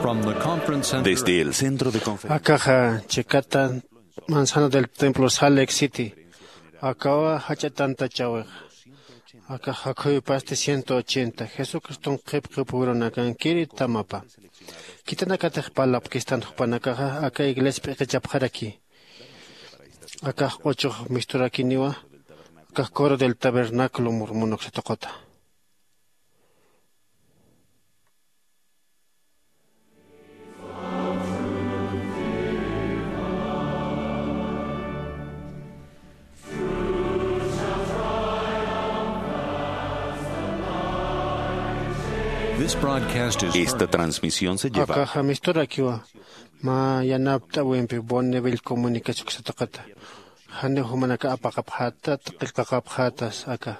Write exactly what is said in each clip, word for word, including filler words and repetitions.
From the conference center. Desde el centro de conferencias. Akaxa chikata manzana del templo Salt Lake City. Akawa jach'a tantachäwixa. Akax jakhuyupasti ciento ochenta Jesucriston qhipqhipürunakankiri tamapa. Khitinakatix parlapkistan jupanakaxa aka iglesia p'iqichapxaraki. Akax q'uchux misturakiniwa. Akax coro del tabernáculo mormón uksatuqata. This broadcast is Esta transmisión se lleva. Akaxa misturakiwa mä yanapt'äwimpi Bonneville Comunicaciones uksatuqata. Janiw jumanaka apaqapxätat qillqaqapxätas aka.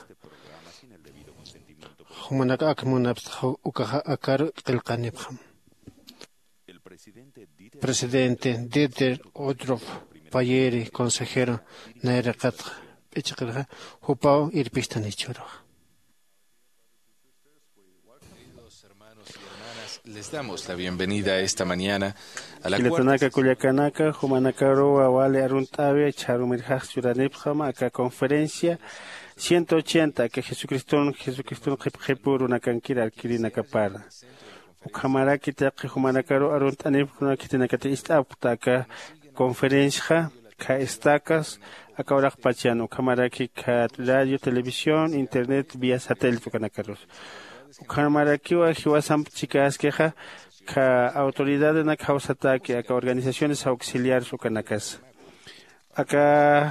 Jumanaka ak munapxta ukaxa akaru qillqanipxam. Presidente Dieter Uchtdorf Payeri, consejero nayraqatxa p'ichqirxa, jupaw irpistan jichhüruxa. Queridos hermanos y hermanas, les damos la bienvenida esta mañana a la cuarta Jilatanaka, kullakanaka, jumanakaruwa wali arunt'äwi, chharumirjax churanipxam aka conferencia ciento ochenta, aka Jesucriston, Jesucriston qhipqhipürunakankir arkirinakapar. Ukhamaraki taqi jumanakaru arunt'anipxuna khitinakati ist'apxta aka conferenciaxa, kha estacas, aka uraqpachan, ukhamaraki kha radio, televisión, internet, vía satélite ukanakarus. Ukhamarakiwa jiwasamp chikäskixa, kha autoridadenak jawsatäki, aka organizaciones auxiliares ukanakasa. Aka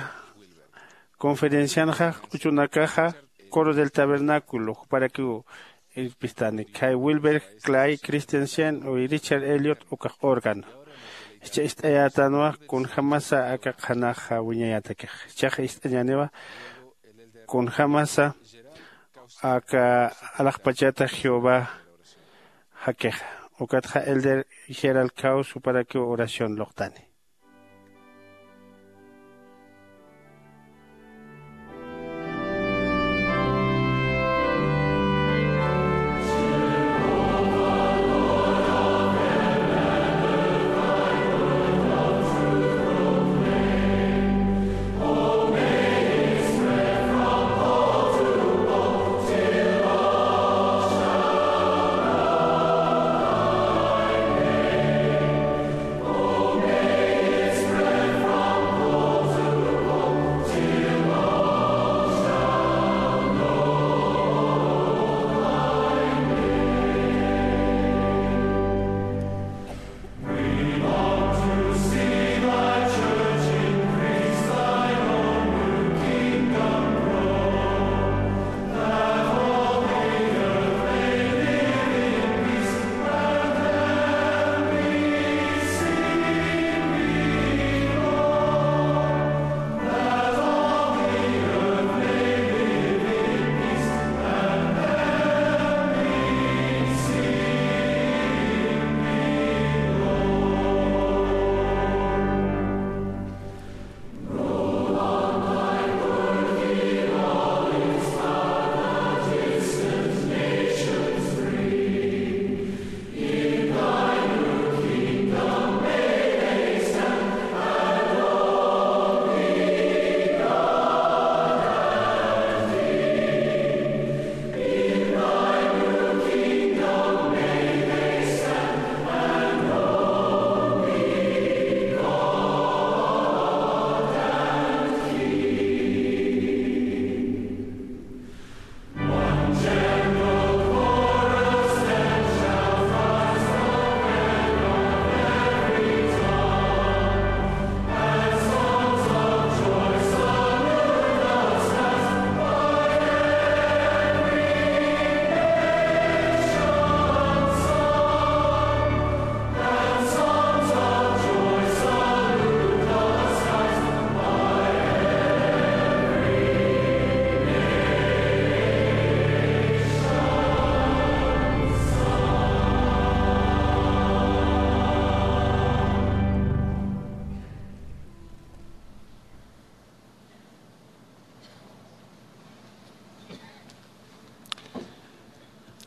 conferencianxa q'uchunakaxa coro del tabernáculo juparakiw irpistani, khay Wilbert Clay Christensen y Richard Elliot ukax órgano. Jichha ist'ayätanwa kunjämasa aka qhanaxa wiñayätakix. Jichhax ist'añäniwa kunjämasa aka alaxpachata Jehová jakixa. Ukatxa elder Gerald Kraus juparakiw oración luqtani.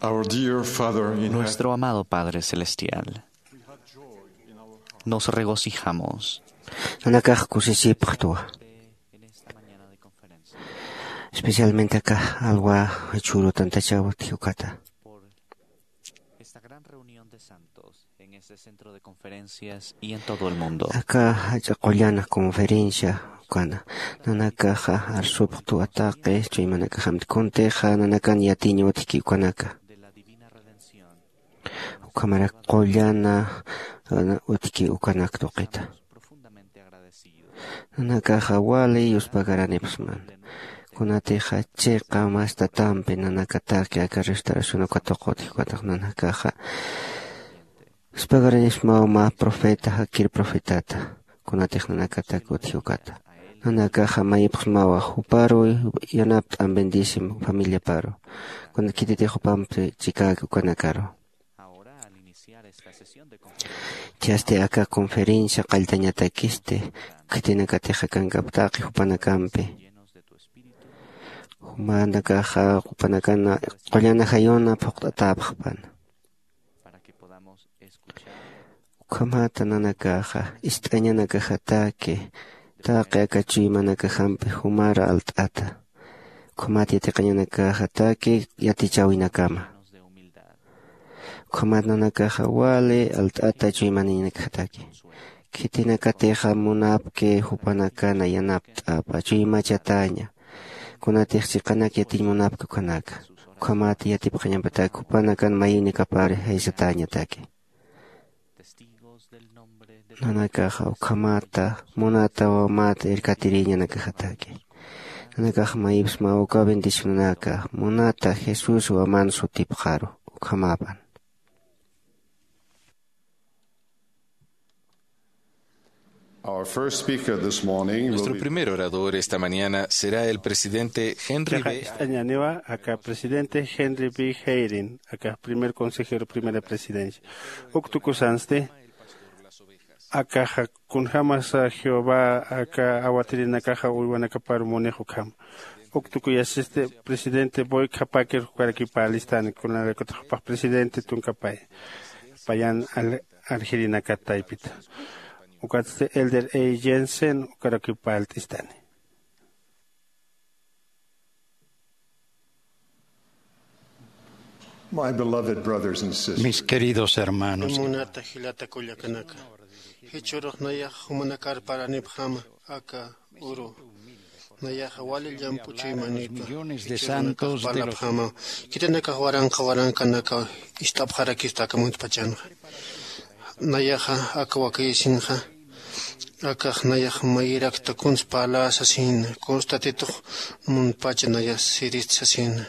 Our dear Father in heaven. Nuestro amado Padre Celestial, nos regocijamos. Nanakax kusisipxtwa. Especialmente aka alwa chhuru tantachaw utji ukata. Esta gran reunión de santos en este centro de conferencias y en todo el mundo. Aka jach'a qullana conferencia ukana. Nanakaxa arsupxtwa taqi chuymanakaxamti, kuntixa nanakan yatiñ utjki ukanaka. De la divina redención. Ukhamarak qullana, uh, utjki ukanak tuqita. Nanakaxa wali yuspagaranipxsman. Kunatixa chiqa mas tatampi nanakataki aka restauración uka tuqu utji ukatax nanakaxa yuspagaranipxsmaw mä profeta, jakir profetata. Kunatix nanakatak utji ukata. Nanakaxa mayipxsmawa juparu yanapt'am bendisim familiaparu. Kuna khititix jupampi chikäki ukanakaru. Chhasti aka conferencia qalltañatakisti, khitinakatix akankaptaqi jupanakampi. Jumanakaxa jupanakan qullana jayuna phuqt'atäpxpan. Ukhamata nanakaxa ist'añanakajataki taqi aka chuymanakajampi jumar alt'ata. Ukhamat yatiqañanakajataki yatichäwinakama. Ukhamat nanakaxa wali alt'ata chuymanakajataki. Khitinakatixa munapki jupanakana yanapt'apa chuymachataña. Kunatix chiqanak yatiñ munapki ukhanaka. Ukhamat yatipxañapatak jupanakan mayinakapar jaysatäñataki. Nanakaxa ukhamata munata wamata irkatiriñanakajataki. Nanakax mayipxsmaw uka bendicionanaka munata Jesús waman sutipxaru ukhamapan. Our first speaker this morning will Nuestro be primer orador esta mañana será el presidente Henry Chiqa B. Ist'añäniwa aka presidente Henry B. Eyring, aka primer consejero, primera presidencia. Uk tukusansti, akaxa kunjämasa Jehová aka awatirinakaxa uywanakapar munix ukham. Uk tukuyasisti presidente Boyd K. Packer ukarakipä alistani, kunalaykutix jupax presidente tunkapay. Payan al-, aljirinakat taypita. Ukatsti Elder A. Jensen ukarakipä alt'istani. My beloved brothers and sisters. Mis queridos hermanos. Munata jilata kullakanaka. Jichhürux nayax jumanakar paranipxama aka uru. Nayaxa wali llamp'u chuymanïtwa. Millones de santos de los Khitinakax waranqa waranqanaka ist'apxarakista aka muntpachanxa. Nayaxa aka wakayasinxa, akax nayax mayirakta kuns parlä sasina, kuns Tatitux muntpacha nayax sirist sasina.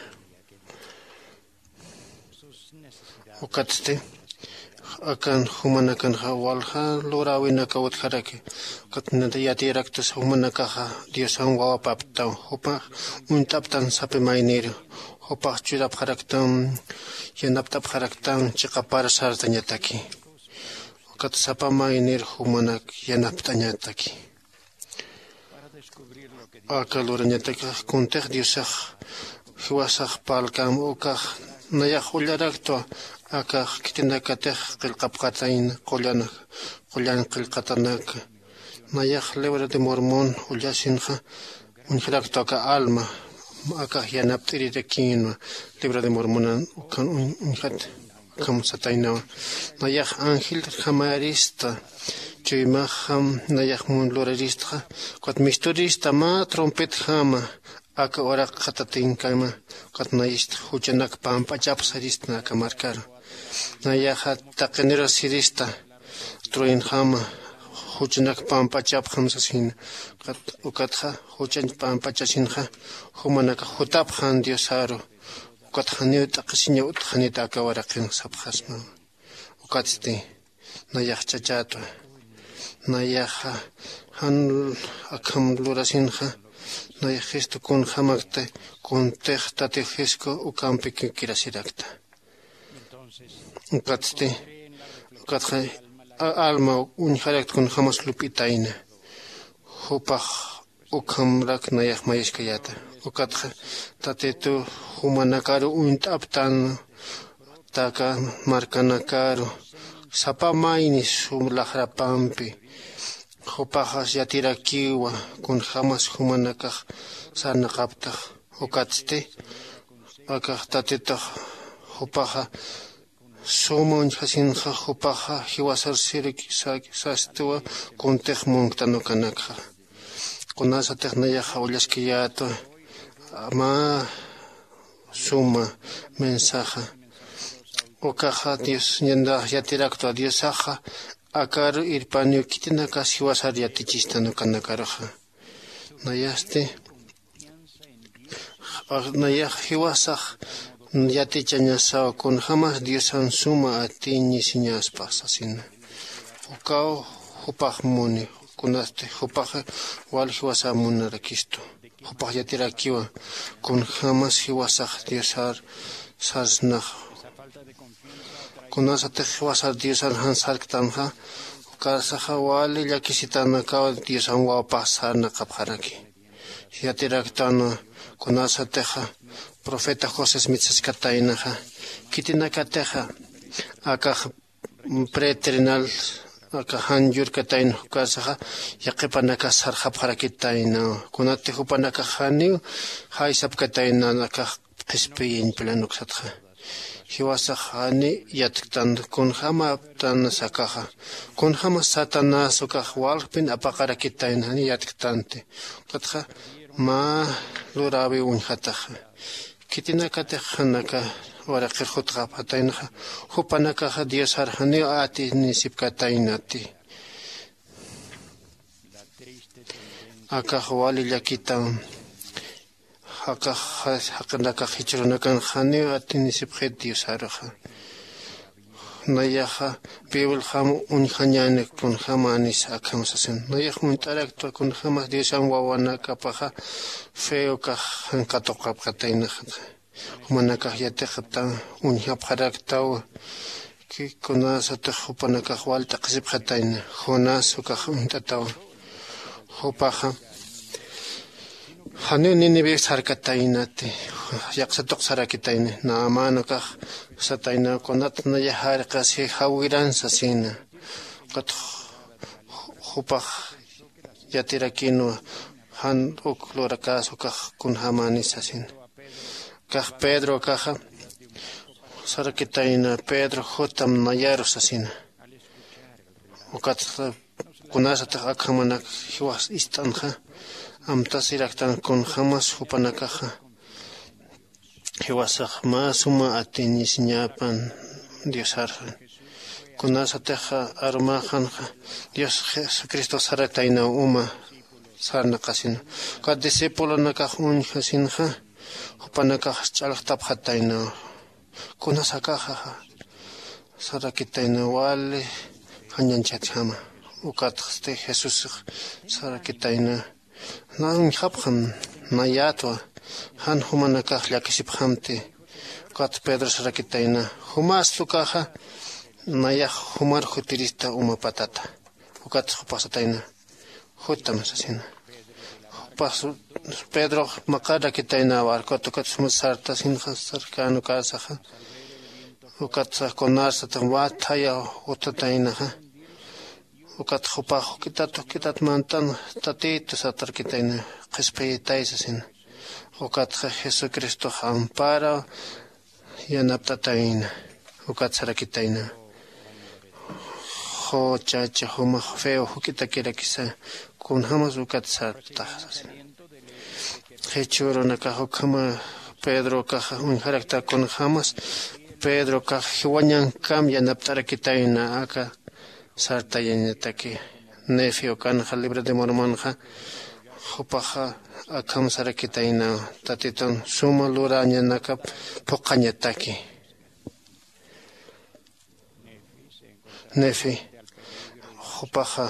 Ukatsti, akan jumanakanxa walja luräwinaka utjaraki. Ukat yatiyaraktas jumanakaxa Diosan wawapaptaw, jupax uñt'aptan sapa mayniru, jupax churapxaraktan, yanapt'apxaraktan, chiqapar sartañataki. Ukat sapa maynir jumanak yanapt'añataki. Aka lurañatakax kuntix Diosax jiwasax parlkäm ukax nayax ullaraktwa, akax khitinakatix qillqapxatayna qullan, qullan qillqatanak. Nayax Libro de Mormon ullasinxa uñjaraktwa aka alma, akax yanapt'irirakinwa Libro de Mormonan ukan uñ-, uñjat. Ukham sataynawa. Nayax angeljamayrista, chuymaxam nayax mun luraristxa, ukat misturista mä trompetjama, aka uraqxa tatinkama, ukat nayist juchanak pamp'achap sarista aka markaru. Nayaxa taqinirus sirista, truenjama, juchanak pamp'achapxam sasina, ukat, ukatxa juchañ pamp'achasinxa, jumanakax jutapxan Diosaru, ukat janiw t'aqhisiñaw utjxanita aka uraqin sapxasma. Ukatsti, nayax chachätwa. Nayaxa jan akham lurasinxa, nayax jistu kunjämakti, kuntix Tati Jisku ukampi kirasirakta. Ukatsti, ukatxa a-, alma uñjarakta kunjämas lup'itayna. Jupax ukhamrak nayax mayiskayäta. Ukatxa Tatitu jumanakaru uñt'aptan, aka markanakaru, Sapa mayni sum laxrapampi jupaxas yatirakiwa, kunjämas jumanakax sarnaqaptax. Ukatsti akax tatitax jupaxa suma uñjasinxa, jupaxa jiwasar sirki sastiwa kuntix munktan ukanakxa. Kunasatix nayaxa ullaskiyätwa mä suma mensaja. Ukaxa dios ñandax yatiraktwa diosaxa akaru irpaniw khitinakas jiwasar yatichistan ukanakaruxa. Nayasti nayax jiwasax yatichañasaw kunjämas diosan suma atiñisiñaspax sasina. Ukaw jupax muni kunasti jupaxa wal jiwasa munarakistu. Jupax yatirakiwa kunjämas jiwasax diosar sarsnax. Kunasatix jiwasar diosar jan sarktanxa ukarsaxa wali llakisitanakaw diosan wawpax sarnaqapxaraki. Yatiraktanwa kunasatixa profeta josés mitsaskataynaxa khitinakatixa akax pretrenal aka jan yurkatayna ukarsaxa yaqipanakas sarxapxarakitaynawa. Kunati jupanakax janiw jaysapkatayna akax qhispiyiñ pilanuksatxa. Jiwasax jani yatktan kunjämaptan sakaxa kunjämas satanás ukax walkpin apaqarakitayna jani yatktanti. Ukatxa mä luräwiw uñjataxa khitinakatix jan aka uraqir jutxapxataynaxa jupanakaxa diosar janiw atinisipkataynati. Akax wali llakitam. Jaqax jaqinakax jichhürunakan janiw atinisipxit diosaruxa. Nayaxa bibliaxam uñjañäni kunjämänis akham sasin nayax munt'araktwa kunjämas diosan wawanakapaxa feo kax jan katuqapxataynaxa. Jumanakax yatiqta uñjapxaraktawa. Kunasatix jupanakax wal t'aqhisipxatayna jonás ukax uñt'atawa. Jupaxa janiw ninive sarkataynati yaqsa tuqsarakitayna. Naamän ukax sataynaw kunat nayax jarqasi jawiran sasina. Ukat jupax yatirakinwa jan uk lurakäsa ukax kunjämänis sasina. Kax pedro kaxa sarakitayna pedro jutam nayaru sasina. Ukat kunasatix akhamanak jiwas ist'anxa amtasiraktan kunjämas jupanakaxa jiwasax mä suma atiñisiñäpan diosarxa. Kunasatixa arumäxanxa dios jesucristox sarataynaw uma sarnaqasina. Ukat discipulonakax uñjasinxa jupanakax ch'alxtapxataynaw. Kunasakaxa sarakitaynaw wali jañañchhatjama. Ukatxsti jesusx sarakitayna na uñjapxam nayätwa jan jumanakax llakisipxamti. Ukat pedro sarakitayna jumasta ukaxa nayax jumar jutirista uma patata. Ukat jupax satayna jutam sasina. Jupax pedrox maqarakitayna barcot ukat suma sartasinxa sarkän ukäsaxa. Ukat sax kunarsatix mä thaya utataynaxa. Ukat jupax juk'itat juk'itat mantan tatïtu satarkitayna qhispiyitay sasina. Ukatxa jesucristox amparaw yanapt'atayna. Ukat sarakitayna juchacha jumax feo juk'itakirakisa kunjämas ukat sartax sasina. Jichhürunakax ukhama pedro kaxa uñjarakta kunjämas pedro kax jiwañankam yanapt'arakitayna aka sartayañataki. Nefi ukanxa libro de mormonxa jupaxa akham sarakitayna tatitun suma lurañanakap phuqhañataki. Nefi jupaxa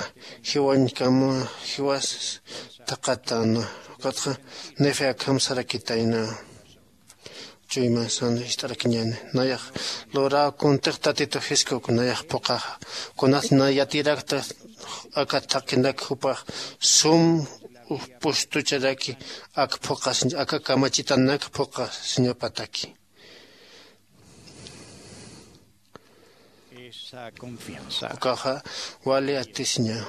jiwañkam jiwas thaqatan. Ukatxa nefi akham sarakitayna chuymasan ist'arakiñäni nayax luraw kuntix tatitu jiskuk nayax phuqaxa. Kunat na yatirakta aka thaqinak jupax sum pustucharaki ak phuqasiñ aka kamachitanak phuqasiñapataki. Ukaxa wali atisiña.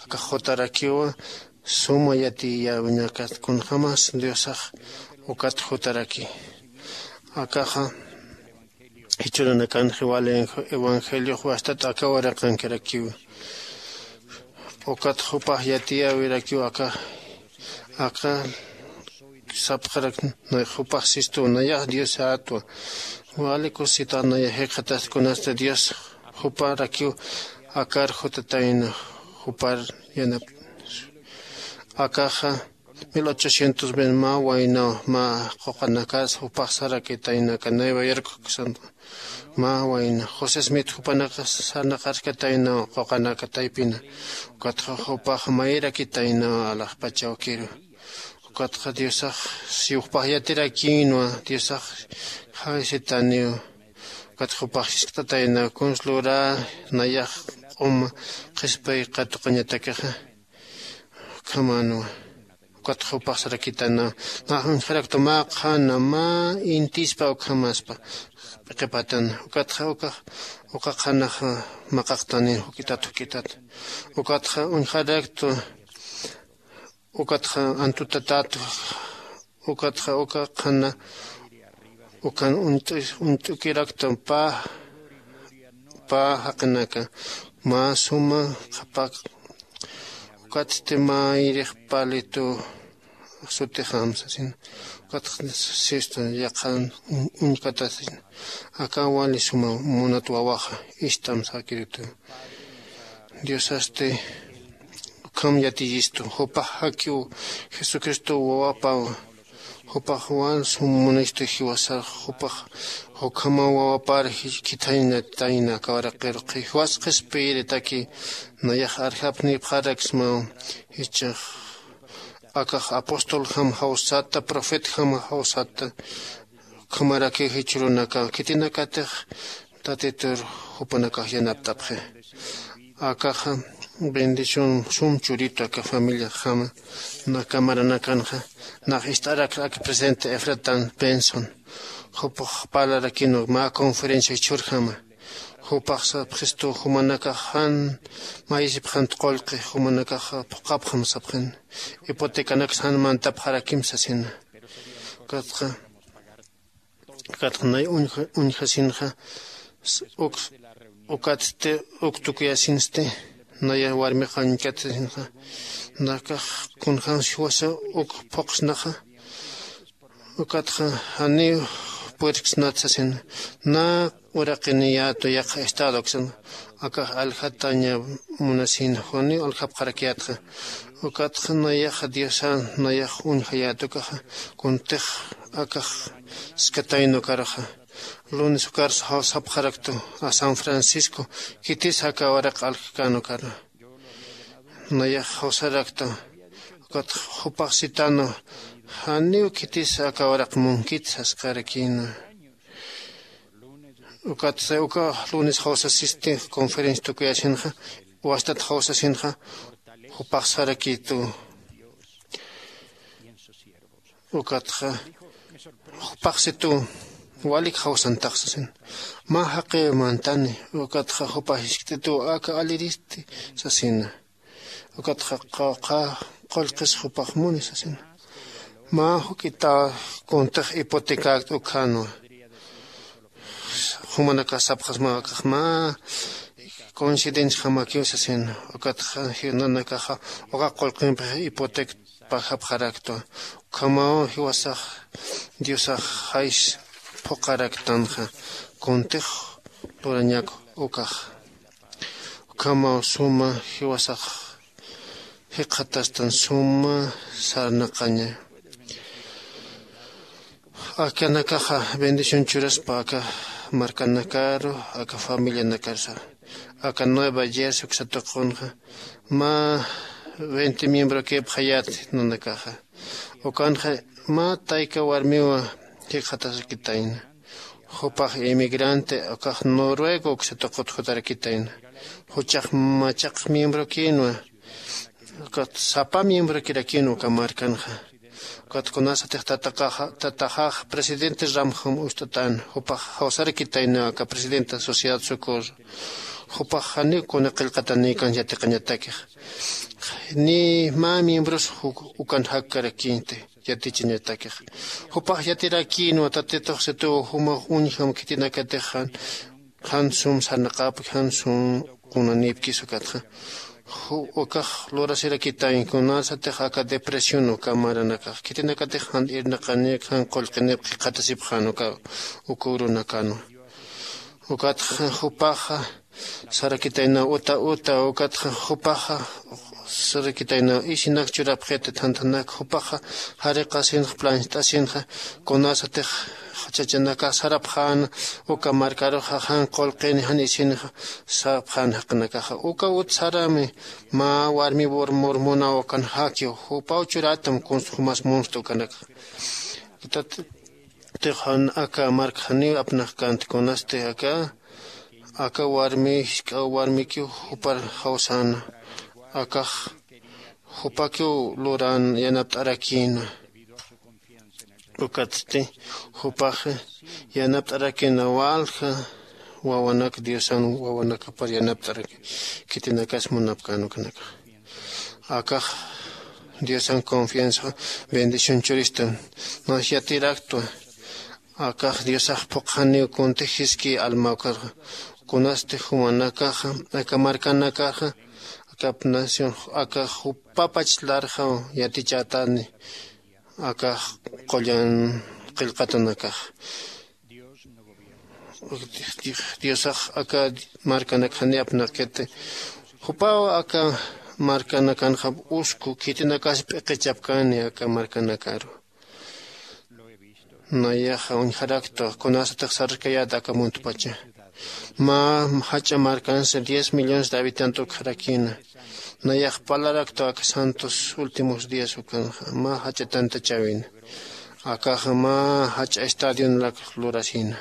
Akax jutarakiwa suma yatiyäwiñakat kunjämas diosax ukat jutaraki. Akaxa jichhürunakanxa wali evangeliox wastat aka uraqankirakiwa. Ukat jupax yatiyäwirakiw aka aka sapxarak. Jupax sistuw nayax diosätwa. Wali kusisitax nayax jikxataskunasta dios juparakiw akar jutatayna jupar yanap. Akaxa mil ochocientos ven mä waynaw mä quqanakas jupax sarakitayna aka nueva york ksantwa. Mä wayna josé smith jupanaka sarnaqarkatayna quqanaka taypina. Ukatxa jupax mayrakitayna alaxpachawkiru. Ukatxa diosax si jupax yatirakïnwa diosax jawsitaniw. Ukatxa jupax jiskt'atayna kuns lurä nayax q'uma qhispay qatuqañatakixa. Ukhamänwa. Ukatxa jupax sarakitana nax uñjaraktu mä qhana mä intispa ukhamaspa p'iqipatan. Ukatxa ukax uka qhanaxa maqaqtani juk'itat juk'itat. Ukatxa uñjaraktu ukatxa antutatat. Ukatxa uka qhana ukan uñt'ukiraktu pä pä jaqinaka mä suma qhapak. Ukatsti mä irix palitu sutixam sasin. Ukatxa sistu yaqhan uñkatasin. Aka wali suma munat wawaxa istam sakiritu. Diosasti ukham yatiyistu jupax jakiw jesucristo wawapaw. Jupax wal sum munistu jiwasar jupax jukhamaw wawapar khithayñatayna aka waraqiruqi jiwas qhispiyiritaki. Nayax arjapnipxaraksmaw jichhax akax apostol jam jawsata profet jam jawsata. Ukhamaraki jichhürunaka khitinakatix tatitur jupanakax yanapt'apxi. Akaxa bendición sum churitu aka familiaxjama. Nakamaranakanxa nax ist'arakxa aka presidente efratan benson jupax parlarakinu mä conferencia jichhürjama. Jupax sapxistu jumanakax jan mayisipxant qullqi jumanakax phuqhapxam sapxin. Hipotecanaksa jan mantapxarakim sasina. Ukatxa ukatxa nay uñjasinxa uk ukatsti uk tukuyasinsti. Naya warmixa uñkatasinxa nakax kunjämsa jiwasa uk phuqsnaxa. Ukatxa janiw puerksnat sasina. Nä uraqiniyätu yaqha estado uksan akax aljataña munasina janiw aljapxarakiyätxa. Ukatxa nayaxa diosan nayax uñjayät ukaxa kuntix akax skatayna ukaruxa. Lunes ukarsa jawsapxaraktu a san francisco khitis aka waraq aljkän ukaru. Nayax jawsaraktu ukat jupax sitanu janiw khitis aka waraq munkit sasqarakïna. Ukat uka lunes jawsasisti conferencia tukuyasinxa wastat jawsasinxa jupax sarakïtu. Ukatxa jupaxsitu walik jawsantax sasin. Mä jaqiw mantani ukatxa jupax jiskt'ituw aka aliristi sasina. Ukatxa qawqha qullqis jupax muni sasina. Mä juk'ita kuntix hipotecakt'u ukhänwa. Jumanakax sapxasmaw akax mä coincidenciajamakiw sasina. Ukatxa nanakaxa uka qullqimpi hipotecapajapxaraktwa. Ukhamaw jiwasax diosax jays phuqharaktanxa kuntix lurañak ukax. Ukhamaw suma jiwasax jikxatastan suma sarnaqaña. Akanakaxa bendición churaspa aka markanakaru aka familianakarsa aka nueva jersey uksa tuqunxa mä veinte miembrokipxayät nanakaxa. Ukanxa mä tayka warmiwa jikxatasakitayna. Jupax inmigrante ukax noruego uksa tuqut jutarakitayna. Juchax machaq miembrokïnwa ukat sapa miembrokirakïnwa uka markanxa. Ukat kunasatix tataxax presidente ramjum ust'atan jupax jawsarakitayna aka presidenta sociedad socorro. Jupax janiw kuna qillqatanïkan yatiqañatakix ni mä miembros ukan jakkarakinti yatichañatakix. Jupax yatirakïnwa tatitux situw jumax uñjam khitinakatix jan sum sarnaqäpki jan sum qunanïpkis ukatxa. Ukax lurasirakitañ kunasatix aka depresión uka maranakax khitinakatix jan irnaqanïk jan qullqinïp qhiqatasipxän uka uka urunakanwa. Ukatxa jupaxa sarakitaynaw uta uta ukatxa jupaxa sarakitaynaw isinak churapxiti thanthanak jupaxa jariqasinxa plancht'asinxa kunasatix chachanakax sarapxäna uka markaruxa jan qullqini jan isinxa sarapxän jaqinakaxa uka ut sarami mä warmi mormonaw ukan jakiw jupaw churatam kunsa jumas munst'u ukanakaxa. Tatitix jan aka mark janiw apnaqkänti kunasti aka aka warmi jisk'a warmikiw jupar jawsäna akax jupakiw luran yanapt'arakïna. Ukatsti jupax yanapt'arakïna walja wawanak diosan wawanakapar yanapt'araki khitinakas munapkän ukanakax. Akax diosan confianza bendición churistan mas yatiraktwa. Akax diosax phuqxaniw kuntix jiski almawkarxa kunasti jumanakaxa aka markanakaxa akap nación aka jupapach larxaw yatichätani akax qullan qillqatanakax. Diosax aka markanakxani apnaqkiti jupaw aka markanakanxa usku khitinakas p'iqichapkani aka markanakaru. Nayaxa uñjaraktwa kunasatix sarkayät aka muntpacha mä jach'a markansa diez millones de habitantes ukxarakïna. Nayax parlaraktwa aka santos últimos días ukanxa mä jach'a tantachäwina. Akaxa mä jach'a estadionak lurasïna.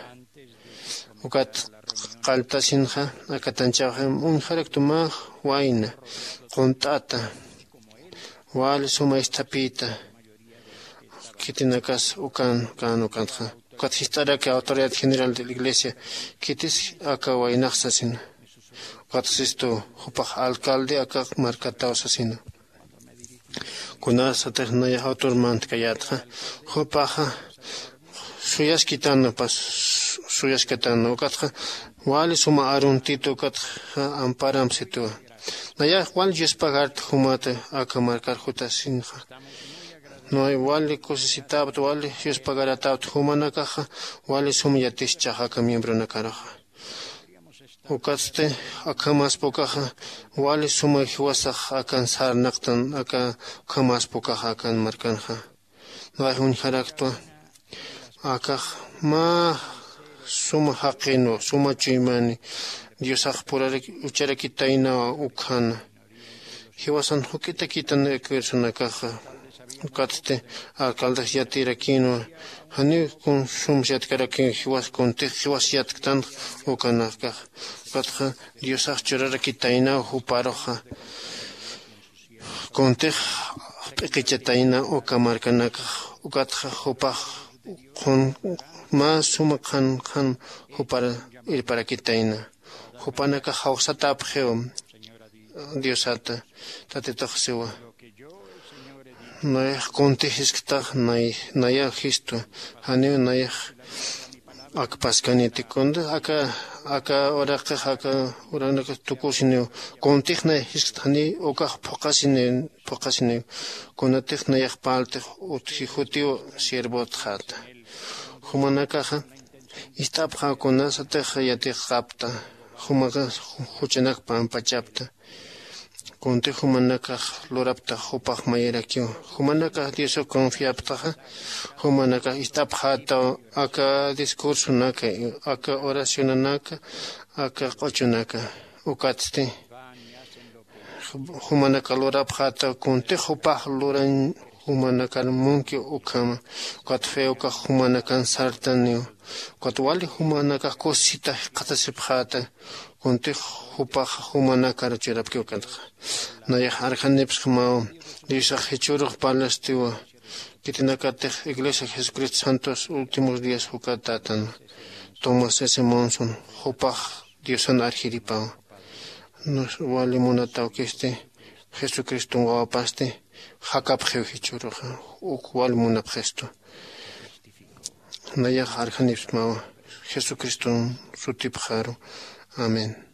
Ukat qalltasinxa aka tanchawxa uñjaraktu mä wayna qunt'ata wali suma isthapïta khitinakas ukan kan ukatxa. Ukat jist'araki autoridad general de la iglesia khitis aka waynax sasina. Ukat sistu jupax alcalde aka markataw sasina. Kunasatix nayax autor mantkayätxa jupaxa suyaskitana pas suyaskatana ukatxa wali suma aruntitu ukatxa amparam situwa. Nayax wali yuspagarta jumata aka markar jutasinxa. Nay wali kusisitäpt wali yuspagaratäpt jumanakaxa wali sum yatischax aka miembronakaruxa. Ukatsti akhamaspa ukaxa wali suma jiwasax akan sarnaqtan aka ukhamaspa ukaxa akan markanxa. Nayax uñjaraktwa akax mä suma jaqinwa suma chuymani diosax purarak ucharakitaynawa ukhana. Jiwasan juk'itakitana aka ursanakaxa. Ukatsti alcaldex yatirakïnwa janiw kun sums yatkarakiw jiwas kuntix jiwas yatktanx ukanakax. Ukatxa diosax churarakitaynaw juparuxa kuntix p'iqichatayna uka markanakax. Ukatxa jupax qun mä suma qhan qhan jupar irparakitayna. Jupanakax jawsatäpxiw diosata tatitux siwa. Nayax kuntix jisktax nayax jistwa janiw nayax akpaskaniti kuntix aka aka uraqix aka uranakax tukusiniw kuntix nayax jiskt janiw ukax phuqasiniw phuqasiniw kunatix nayax parltix utji jutiw siervotxäta. Jumanakaxa ist'apxaw kunasatix yatiqapta jumaxa juchanak pampachapta. Kuntix jumanakax luraptax jupax mayirakiw jumanakax diosaw confiaptaxa jumanakax ist'apxätaw aka discursonaka aka oracionanaka aka q'uchunaka. Ukatsti jumanakax lurapxätaw kuntix jupax lurañ jumanakar munkiw ukhama. Ukat fe ukax jumanakan sartaniw ukat wali jumanakax kusisita jikxatasipxäta. Kuntix jupax jumanakar churapkiw ukatxa. Nayax arjanipsxmaw diosax jichhürux parlastiwa Kitinakatix Iglesia Jesucristo Santos Últimos Días jukatatan Thomas S. Monson, jupax Diosan arjiripaw. Nos wali munatawkisti, Jesucriston wawapasti, jakapxiw jichhüruxa, uk wali munapxistu. Nayax arjanipsmawa, Jesucriston sutipxaru. Amén.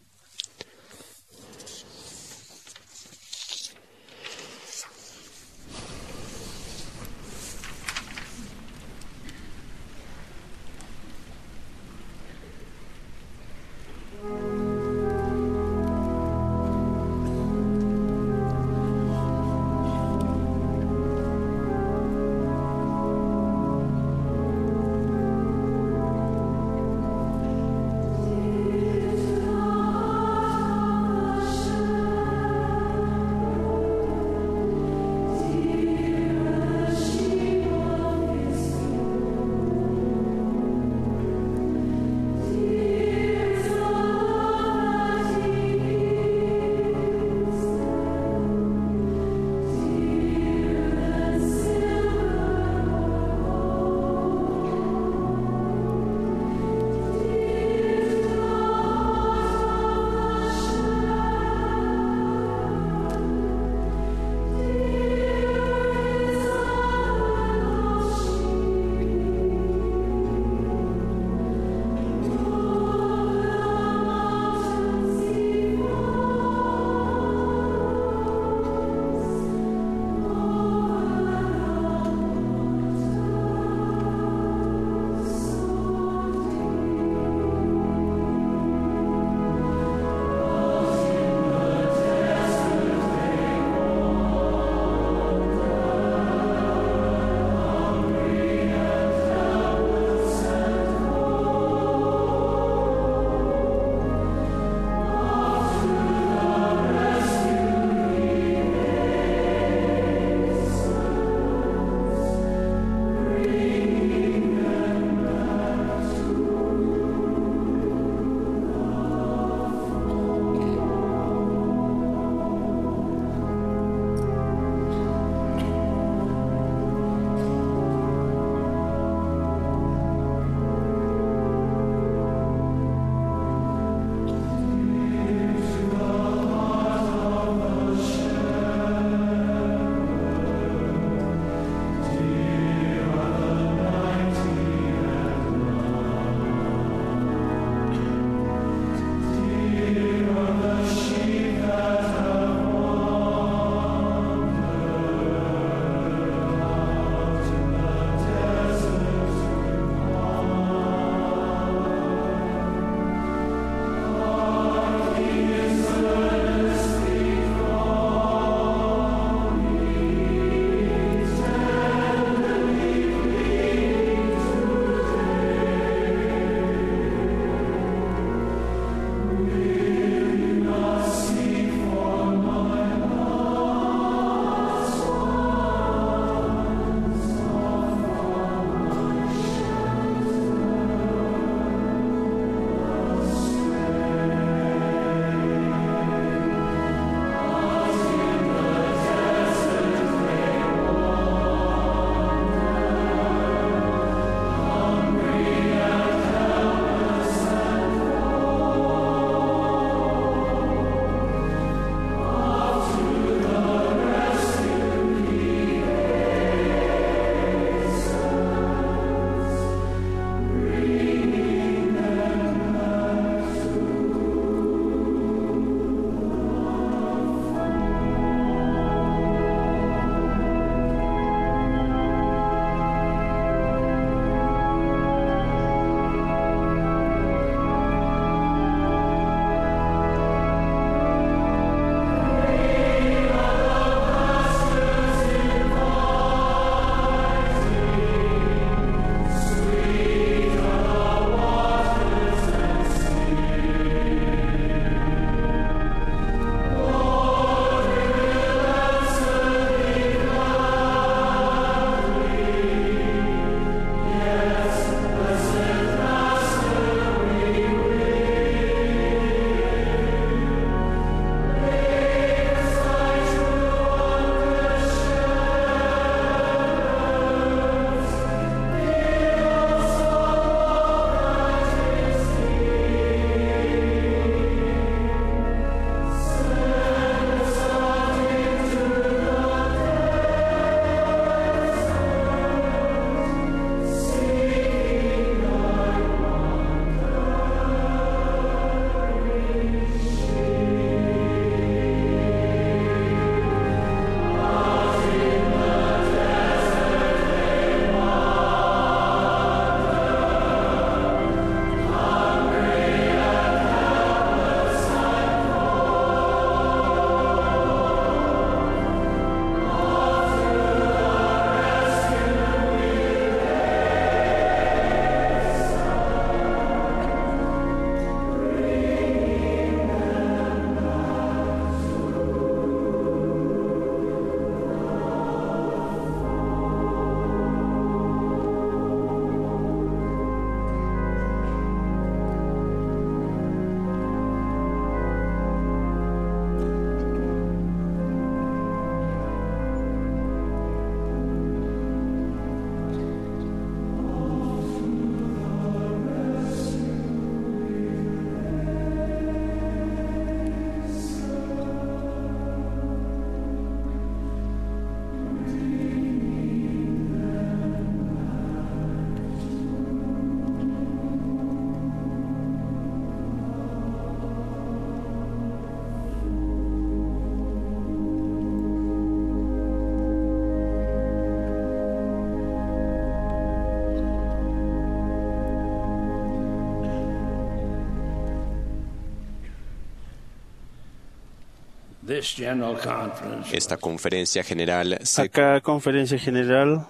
Esta conferencia general se aka conferencia general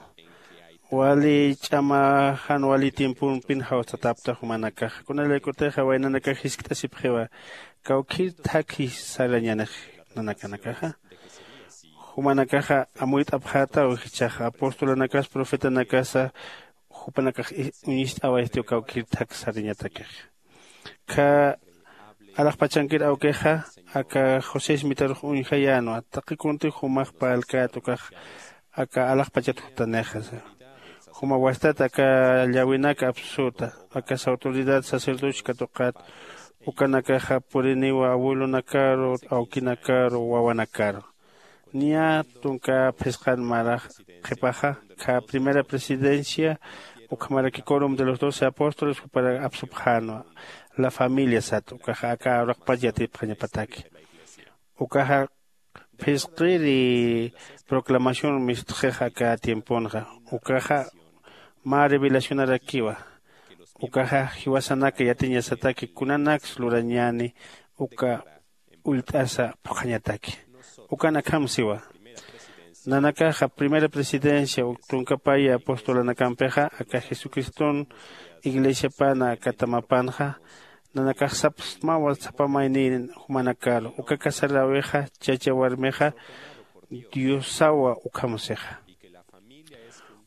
wali ch'ama jan wali tiempompin jawsatapta jumanakaxa kunalaykutixa waynanakax jiskt'asipxiwa kawkhir thakhi sarañanix nanakanakaxa jumanakaxa amuyt'apxätaw jichhaxa apostolanakas profetanakasa jupanakax uñist'awayistiw kawkhir thak sarañatakixa kha alaxpachankir awkixa aka josé smitarux uñjayänwa taqi kunti jumax parlkät ukax aka alaxpachat jutanixa juma wastat aka llawinaka apsuta aka autoridad sacerdocio katuqat ukanakaxa puriniwa abuelonakaru awkinakaru wawanakaru niya tunka phisqan marax qhipaxa kha primera presidencia ukhamaraki corum de los doce apóstoles juparak apsupxänwa la familia sat ukaxa aka uraqpach yatipxañapataki ukaxa phisqiri proclamación mistxix aka tiemponxa ukaxa mä revelacionarakiwa ukaxa jiwasanaka yatiñasataki kunanaks lurañäni uka ullt'asa phuqhañataki ukan akham siwa nanakaxa primera presidencia uk tunka paya apostolanakampixa aka jesucriston iglesiapana aka tamapanxa nanakax sapsmawa sapa mayniy jumanakaru uka casaräwixa chacha warmixa diosawa ukham sixa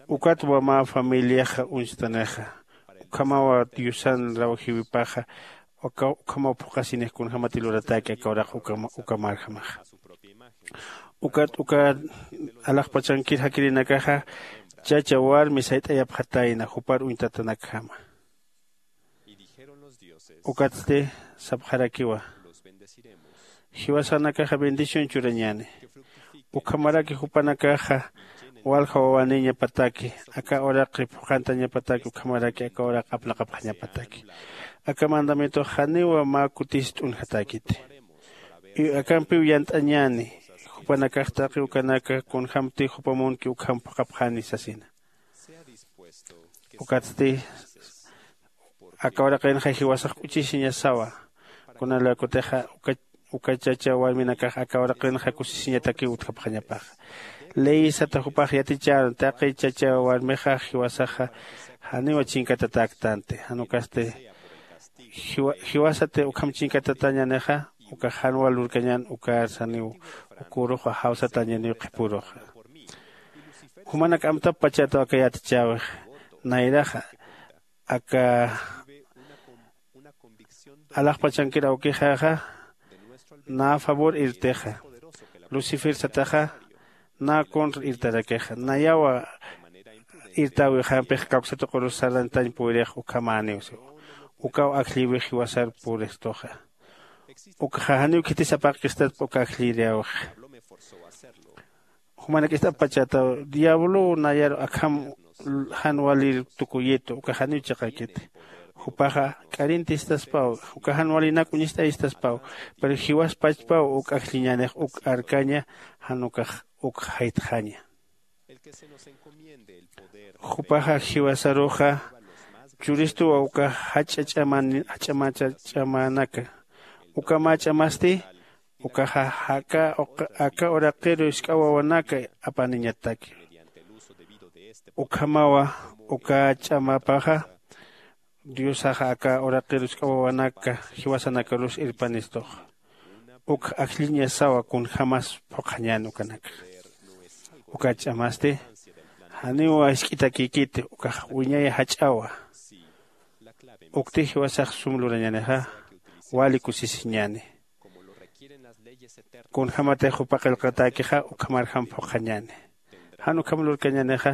ukatwa mä familiaxa uñstanixa ukhamawa diosan rawjiwipaxa ukhamaw phuqhasinix kunjämati luratäki aka uraq uka marjamaxa ukat uka alaxpachankir jakirinakaxa chacha warmi sayt'ayapxatayna jupar uñtatanakjama ukatsti sapxarakiwa jiwasanakaxa bendición churañäni ukhamaraki jupanakaxa walja wawaniñapataki aka uraqi phuqhantañapataki ukhamaraki aka uraq aplaqapxañapataki aka mandamientox janiwa mä kutis t'unjatäkiti akampiw yant'añäni jupanakax taqi ukanaka kunjämti jupa munki ukham phuqhapxani sasina ukatsti aka uraqinxa jiwasax k'uchisiñasawa kunalaykutixa uka chacha warminakax aka uraqinxa kusisiñatakiw utjapxañapaxa ley sata jupax yatichäna taqi chacha warmixa jiwasaxa janiw chinkatatäktanti jan ukasti jiwasati ukham chinkatatañänixa ukax jan wal lurkañän ukar janiw uk uruxa jawsatañäniw qhipuruxa jumanak amtapxpachätaw aka yatichäwix nayraxa aka alaxpachankir awkixaxa nä favor irtixa lucifer sataxa nä contra irtarakixa nayawa irtäwixampix kawksatuqurus sarantañ puwirix ukhamäniw siwa ukaw ajllïwix jiwasar puristuxa ukxa janiw khiti sapaqkistatpa uka ajllïriäwixa jumanakist'apxpachätaw diablow nayar akham jan walir tukuyitu uka janiw chiqakiti jupaxa k'arintistaspaw uka jan walinak uñist'ayistaspaw pero jiwaspachpaw uk ajlliñanix uk arkaña jan ukax uk jaytxaña jupaxa jiwasaruxa churistuwa uka jach'a ch'aman jach'a macha ch'amanaka uka mä ch'amasti ukaxa aka aka uraqiru jisk'a wawanaka apaniñataki ukhamawa uka ch'amapaxa diosaxa aka uraqiru jisk'a wawanaka jiwasanakarus irpanistuxa uk ajlliñasawa kunjämas phuqhañän ukanakxa uka ch'amasti janiw jisk'itakïkiti ukax wiñay jach'awa ukti jiwasax sum lurañänixa wali kusisiñäni kunjämatix jupa qillqatäkixa ukhamarjam phuqhañäni jan ukham lurkañänixa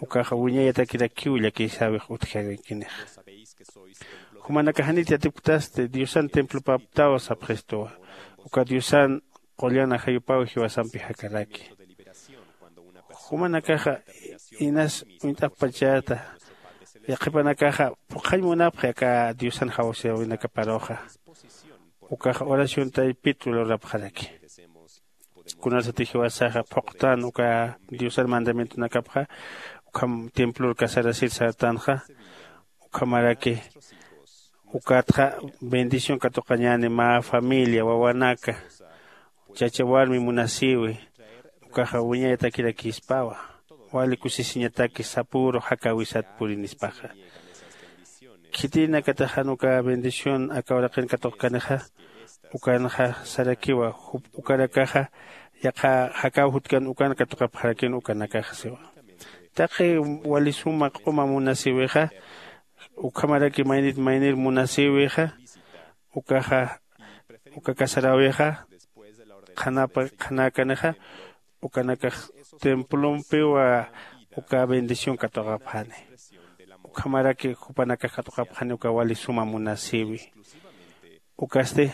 ukaxa wiñayatakirakiw llakisawix utjarikinixa jumanakax janit yatipktasti diosan templopaptaw sapxistuwa uka diosan qullan ajayupaw jiwasampi jakaraki jumanakaxa inas uñt'apxpachäta yaqhipanakaxa phuqhañ munapxi aka diosan jawsäwinakaparuxa ukaxa oración taypit lurapxaraki kunasatix jiwasaxa phuqtän uka diosan mandamientonakapxa ukham templor casarasir sartanxa ukhamaraki ukatxa bendición katuqañäni mä familia wawanaka chacha warmi munasïwi ukaxa wiñayatakirakispawa. Wali kusisiñataki sapüru jakäwisat purinispaxa. Khitinakatix jan uka bendición aka uraqin katuqkanixa ukanxa sarakiwa. Ukanakaxa yaqha jakäw jutkan ukan katuqapxarakin ukanakaxa siwa. Taqi wali suma q'uma munasïwixa ukhamaraki maynit maynir munasïwixa ukaxa uka casaräwixa qhanapa qhanäkanixa ukanakax templompiwa uka bendición katuqapxani. Ukhamaraki jupanakax katuqapxani uka wali suma munasïwi. Ukasti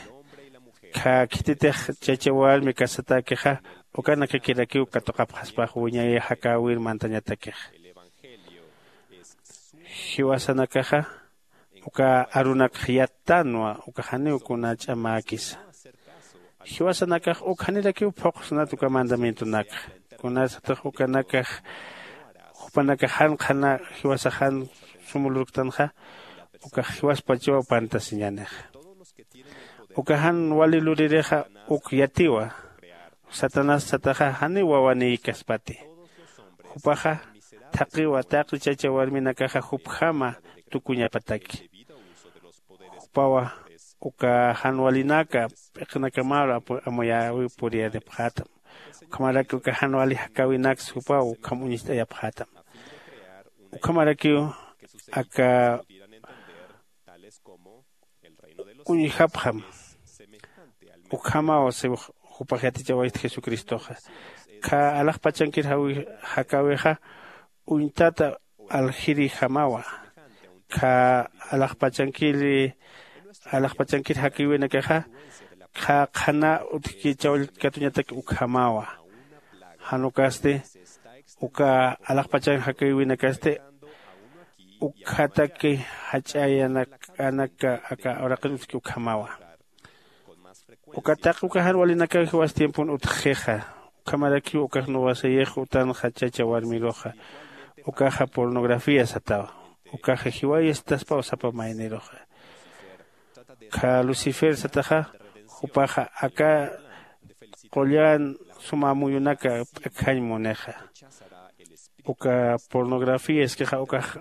khä khititix chacha warmi casatäkixa ukanakakirakiw katuqapxaspax wiñay jakäwir mantañatakixa. Jiwasanakaxa uka arunakx yattanwa uka janiw kuna ch'amäkisa. Jiwasanakax uk janirakiw phuqsnat uka mandamientonakxa. Kunasatix ukanakax jupanakax jan qhana jiwasax jan sum lurktanxa ukax jiwaspachaw pantasiñänixa. Uka jan wali luririxa uk yatiwa. Satanás sataxa janiw wawanïkaspati. Jupaxa thaqiwa taqi chacha warminakaxa jupjama tukuñapataki. Jupawa uka jan walinaka p'iqinakamaru amuyäwi puriyanipxätam. Ukhamaraki uka jan wali jakäwinaksa jupaw ukham uñst'ayapxätam. Ukhamarakiw aka uñjapxam. Ukhamaw siw jupax yatichawayxt jesucristoxa. Khä alaxpachankir jakäwixa uñtata aljirïjamawa. Khä alaxpachankiri alaxpachankir jakäwinakaxa khä qhana utjkichaw katuñatak ukhamawa. Jan ukasti uka alaxpachan jakäwinakasti ukkhataki jach'ayanakänaka aka uraqin utjki ukhamawa. Uka taqi uka jan walinakaw jiwas tiempon utjxixa. Ukhamarakiw ukax nuwasayix utanxa chacha warmiruxa ukaxa pornografía satawa. Ukaxa jiwayastaspaw sapa mayniruxa. Khä lucifer sataxa jupaxa aka qullan suma amuyunaka p'akjañ munixa. Uka pornografía iskixa ukax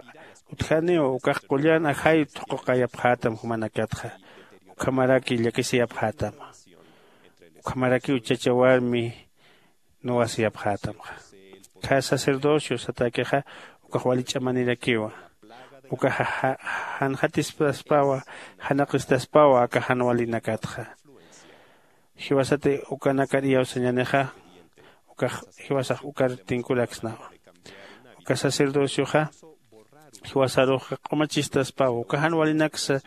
utjaniw ukax qullan ajay thuquqayapxätam jumanakatxa. Ukhamaraki llakisiyapxätama. Ukhamarakiw chacha warmi nuwasiyapxätamxa. Khä sacerdocio satäkixa ukax wali ch'amanirakiwa. Ukaxa janxatistaspawa janaqistaspawa aka jan walinakatxa. Jiwasati ukanakar iyawsañänixa ukax jiwasax ukar tinkuraksnawa. Uka sacerdocioxa jiwasaruxa q'umachistaspawa uka jan walinaksa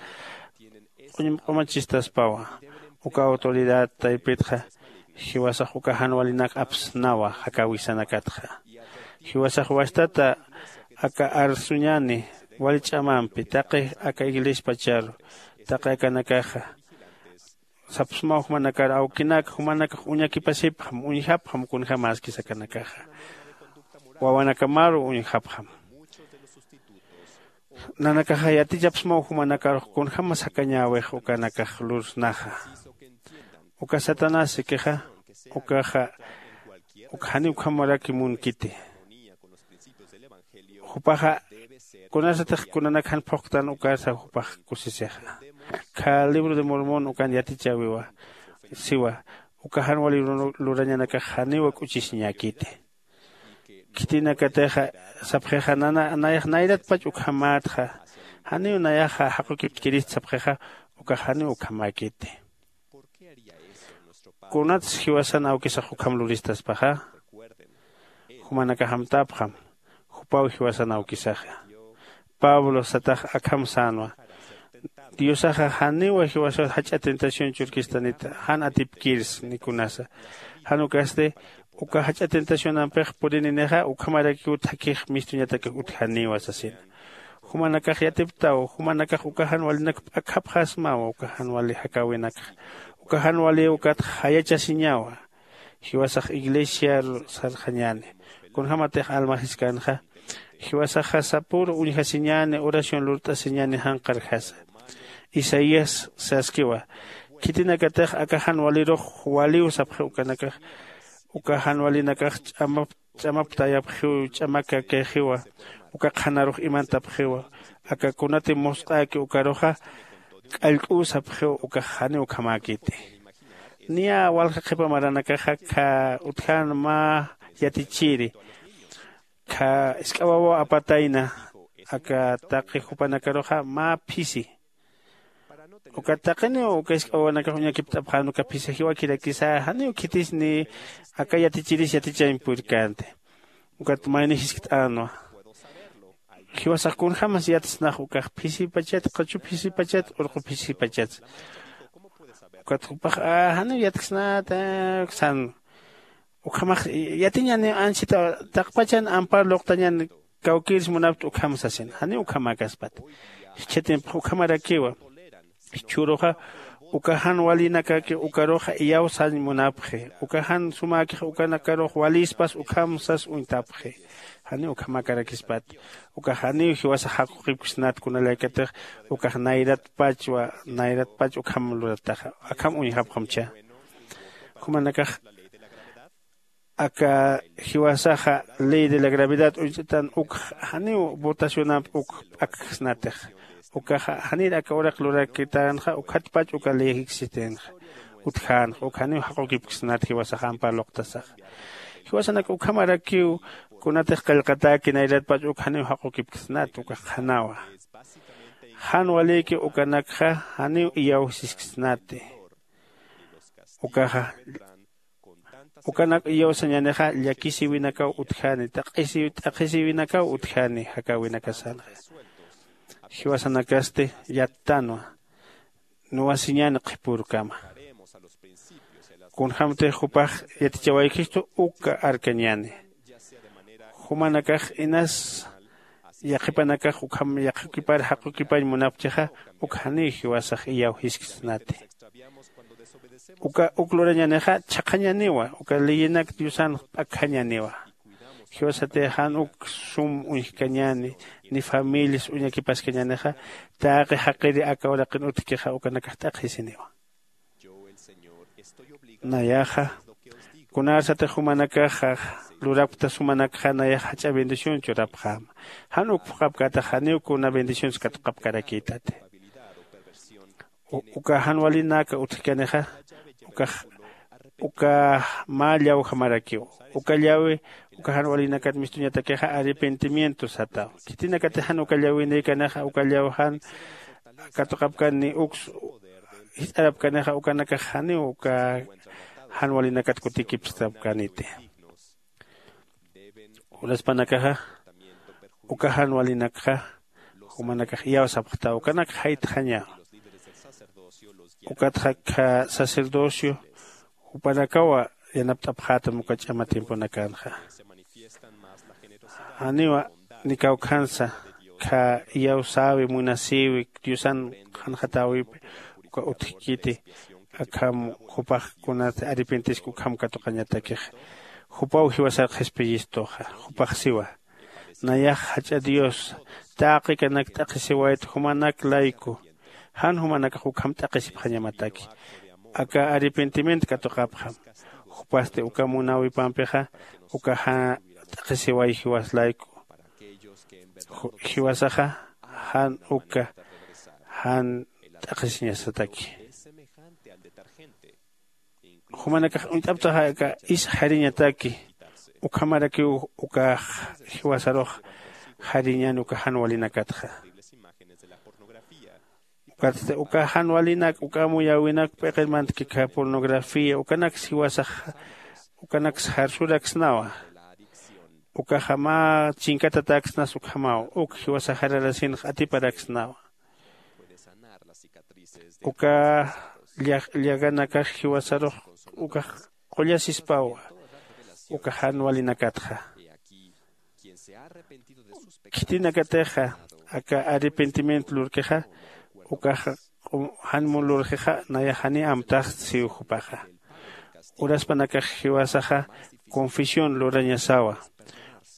q'umachistaspawa. Uka autoridad taypitxa jiwasax uka jan walinak apsnawa jakäwisanakatxa. Jiwasax wastata aka arsuñäni wali ch'amampi taqi aka iglesiapacharu taqi akanakaxa sapsmaw jumanakar awkinak jumanakax uñakipasipxam uñjapxam kunjämäskis akanakaxa. Wawanakamaru uñjapxam. Nanakaxa yatichapsmaw jumanakarux kunjämas jakañäwix ukanakax lursnaxa. Uka satanás ikixa ukaxa uk janiw ukhamaraki munkiti. Jupaxa kunasatix kunanak jan phuqtan ukarsa jupax kusisixa. Khä libro de mormón ukan yatichäwiwa siwa uka jan wali lurañanakax janiw k'uchisiñäkiti. Khitinakatixa sapxixa nayax nayratpach ukhamätxa janiw nayaxa jaqukiptkirist sapxixa ukax janiw ukhamäkiti. Kunatsa jiwasan awkisax ukham luristaspaxa? Jumanakax amtapxam jupaw jiwasan awkisaxa. Pablo satax akham sänwa. Diosaxa janiwa jiwasaw jach'a tentación churkistanita jan atipkirs ni kunasa. Jan ukasti uka jach'a tentacionampix purininixa ukhamarakiw thakix mistuñatakix utjaniwa sasina. Jumanakax yatiptaw jumanakax uka jan walinak p'akhapxasmawa uka jan wali jakäwinakxa. Uka jan wali ukatxa jayachasiñawa. Jiwasax iglesiar sarxañäni. Kunjämatix alma jiskanxa jiwasaxa sapüru uñjasiñäni oración lurt'asiñäni janqarjasa. Isaías saskiwa. Khitinakatix aka jan walirux waliw sapxi ukanakax. Uka jan walinakax ch'amap ch'amaptayapxiw ch'amakakixiwa. Uka qhanarux imantapxiwa. Aka kunati musq'äki ukaruxa k'allk'uw sapxiw ukax janiw ukhamäkiti. Niya walja qhipa maranakaxa kha utjän mä yatichiri kha isk'awawaw apatayna aka taqi jupanakaruxa mä phisi. Uka taqiniw uka isk'awawanakax uñakipt'apxän uka phisi jiwakirakisa janiw khitis ni aka yatichiris yatichañ purkänti. Ukat mayni jiskt'änwa. Jiwasax kunjämas yatsnax ukax phisipachat q'uchu phisipachat urqu phisipachat. Ukat jupax janiw yatksnäta sän. Ukhamax yatiñäni anchita taqpachan ampar luqtañän kawkïrs munapkta ukham sasin janiw ukhamäkaspat. Jichha tiempox ukhamarakiwa. Jichhüruxa uka jan walinakaki ukaruxa iyawsañ munapxi. Uka jan sumäkix ukanakarux walïspas ukham sas uñtapxi. Janiw ukhamäkarakispat. Ukax janiw jiwasax jaq'uqipksnat kunalaykatix ukax nayratpachwa nayratpach ukham lurataxa akham uñjapxamcha. Jumanakax aka jiwasaxa ley de la gravedad uñch'atan ukx janiw votacionamp uk p'akjsnatix. Ukaxa janir aka uraq lurakitänxa ukhatpach uka ley existenxa. Utjänxa uk janiw jaqukipksnat jiwasax ampar luqtasaxa. Jiwasanak ukhamarakiw kunatix qillqatäki nayratpach uk janiw jaqukipksnat ukax qhanawa. Jan walïki ukanakxa janiw iyawsisksnati. Ukaxa ukanak iyawsañänixa llakisïwinakaw utjäni t'aqhisïwinakaw utjäni jakäwinakasanxa. Jiwasanakasti yattänwa nuwasiñäni qhipürkama. Kunjämtix jupax yatichawaykistu uka arkañäni. Jumanakax inas yaqhipanakax ukham yaqhukipar jaqukipañ munapchixa uk janiw jiwasax iyawjisksnati. Uka uk lurañänixa chhaqhañäniwa uka leyinak diosan p'akjañäniwa. Jiwasatix jan uk sum uñjkañäni ni familias uñakipaskañänixa taqi jaqiri aka uraqin utjkixa ukanakax t'aqhisiniwa. Nayaxa kunarsatix jumanakaxa lurapkta sumanakxa nayax jach'a bendición churapxäma. Jan uk phuqhapkätax janiw kuna bendicionsa katuqapkarakïtati. Uka jan walinaka utjkanixa ukax uka mä llawjamarakiw. Uka llawi uka jan walinakat mistuñatakixa arrepentimiento sataw. Khitinakatix jan uka llawinïkanixa uka llaw jan katuqapkani uks jisarapkanixa ukanakax janiw uka jan walinakat kutikipstapkaniti. Uraspanakaxa uka jan walinakxa jumanakax iyawsapxtaw ukanak jaytxañaw. Ukatxa kha sacerdocio jupanakawa yanapt'apxätam uka ch'ama tiemponakanxa. Janiwa ni kawkhansa kha iyawsäwi munasïwi diosan qhanxatäwipi uka utjkiti. Akham jupax kunat arrepentiska ukham katuqañatakix. Jupaw jiwasar qhispiyistuxa. Jupax siwa nayax jach'a dios taqi kanak t'aqhisiwayta jumanak layku. Jan jumanakax ukham t'aqhisipxañamataki. Aka arrepentimiento katuqapxam. Jupasti uka munäwipampixa uka jan t'aqhisiway jiwas layku. Jiwasaxa jan uka jan t'aqhisiñasataki. Jumanakax uñt'aptaxa aka is jariñataki. Ukhamarakiw ukax jiwasarux jariñäni uka jan walinakatxa. Ukatsti uka jan walinak uka amuyäwinak p'iqir mantkikha pornografía ukanaks jiwasax ukanaks jarsuraksnawa. Ukaxa mä chinkatatäksnas ukhamaw uk jiwasax jararasinx atiparaksnawa. Uka llaganakax jiwasarux ukax qullasispawa uka jan walinakatxa. Khitinakatixa aka arrepentimiento lurkixa ukaxa jan mun lurxixa nayax janiy amtaxta siw jupaxa. Uraspanakax jiwasaxa confesión lurañasawa.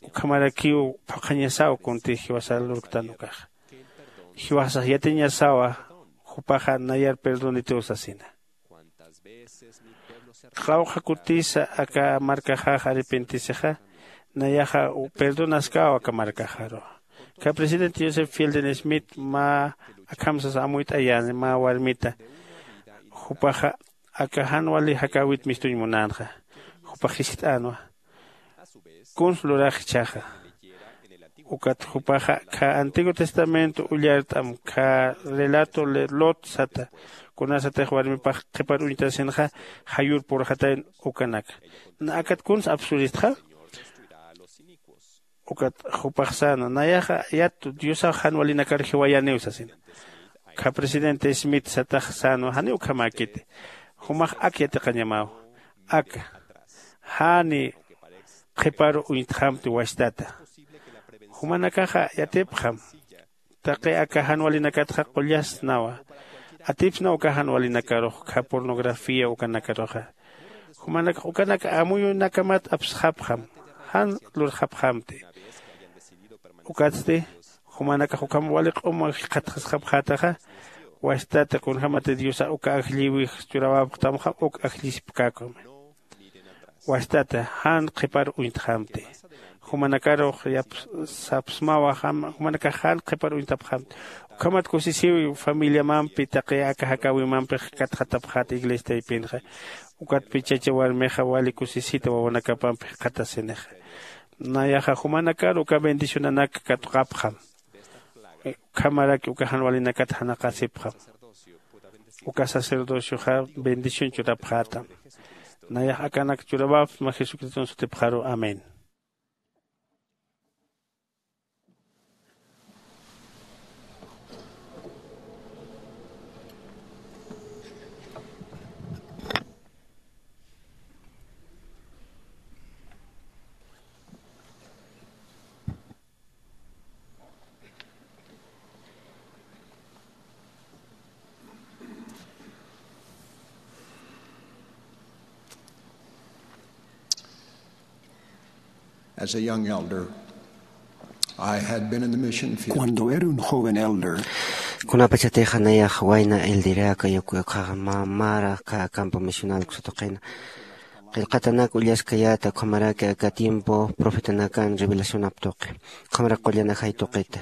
Ukhamarakiw phuqhañasaw kuntix jiwasar lurktan ukaxa. Jiwasax yatiñasawa jupaxa nayar perdonitiw sasina. Qawqha kutisa aka markaxax arrepentisixa, nayaxa perdonaskaw aka markaxaru. Ka presidente joseph fielden smith mä akhamsas amuyt'ayäni mä warmita. Jupaxa aka jan wali jakäwit mistuñ munänxa. Jupax jiskt'änwa kuns lurax jichhaxa. Ukat jupaxa kha antiguo testamento ullart'am kha relato de lot sata, kunasatix warmipax qhipar uñtasinxa jayur purxatayn ukanaka. Na akat kuns apsuristxa? Ukat jupax säna nayaxa yat diosax jan walinakar jiwayäniw sasina. Kha presidente smith satax sänwa janiw ukhamäkiti. Jumax ak yatiqañamaw aka jani qhiparu uñtxamti wastata. Jumanakaxa yatipxam taqi aka jan walinakatxa qullasnawa. Atipsna uka jan walinakarux kha pornografía ukanakaruxa. Jumanakax ukanak amuyunakamat apsxapxam jan lurxapxamti. Ukatsti jumanakax ukham wali q'uma jikxatxasxapxätaxa. Wastata kunjämati diosa uka ajlliwix churawapxtamxa uk ajllisipkäkumi. Wastata jan qhipar uñtxamti. Jumanakarux sapsmawa jumanakax jan qhipar uñtapxamti. Ukhamat kusisiw familiamampi taqi aka jakäwimampi jikatxatapxäta iglesia taypinxa. Ukatpi chacha warmixa wali kusisita wawanakapampi jikxatasinixa. Nayaxa jumanakar uka bendicionanak katuqapxam. Ukhamaraki uka jan walinakat janaqasipxam. Uka sacerdocioxa bendición churapxätam. Nayax akanak churawapxma jesucriston sutipxaru amén. As a young elder, I had been in the mission field. Cuando era un joven elder, kunapachatixa nayax wayna elderaka yukuyuqxaxa mamara kä campo misional kusatuqina. Qillqatanak ullaskayäta ukhamaraki aka tiempo profetanakan revelacionap tuqi ukhamarak qullan ajay tuqita.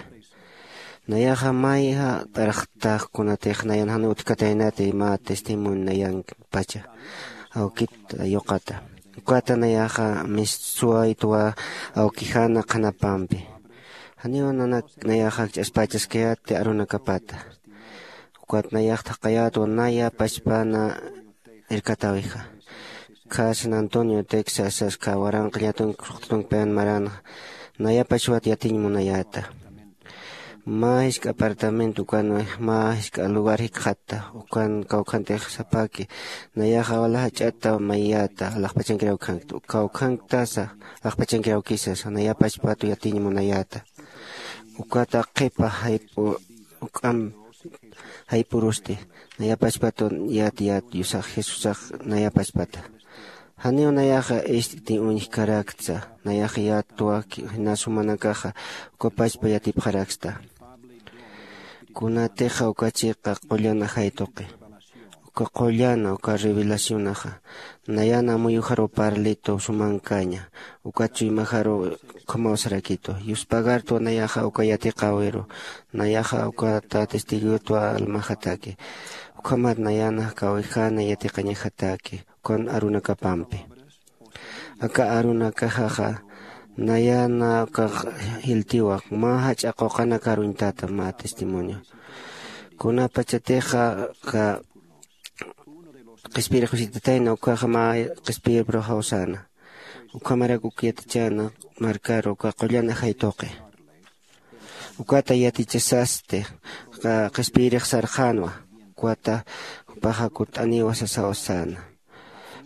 Nayaxa mayja t'araxtax kunatix nayan jan utjkataynati mä testimonio nayanpacha awkit yuqata. Ukata nayaxa mistsuwaytwa awkijana qhanapampi. Janiw nanak nayaxa akch'aspachaskayäti arunakapata. Ukat nayax thaqhayätwa naya pachpana irkatäwixa. Kha san antonio texas sas kha waranqa ñatunk suqtatunkpayan maranxa. Nayapachwat yatiñ munayäta. Mä jisk'a apartamento ukanwi mä jisk'a lugar jikxatta. Ukan kawkhantix sapaki nayaxa wala jach'ata mayiyäta alaxpachankiraw khankta kawkhanktasa alaxpachankiraw kisasa nayapachpatu yatiñ munayäta. Ukata qhipa jayp'u uk'am jayp'urusti nayapachpatun yat yat yusax jesusax nayapachpata. Janiw nayaxa ist'ti uñjkaraktsa nayax yatwa jinas jumanakaxa uka pachpa yatipxaraksta. Kunatixa uka chiqa qullan ajay tuqi uka qullan uka revelacionaxa nayan amuyujaruw parlitu sumankaña. Ukat chuymajaruw ukhamaw sarakitu yuspagartwa nayaxa uka yatiqäwiru. Nayaxa ukata testigoyutwa almajataki ukhamat nayan jakäwijana yatiqañajataki ukan arunakapampi. Aka arunakaxaxa nayana ukax jiltiwa mä jach'a quqanakar uñtata mä testimonio. Kunapachatixa aka qhispiyir jusitatayna ukaxa mä qhispiyir pruxaw säna. Ukhamarak uk yatichäna markaru uka qullan ajay tuqi. Ukata yatichasasti qhispiyirix sarxänwa. Ukwata jupaxa kutt'aniwa sasaw säna.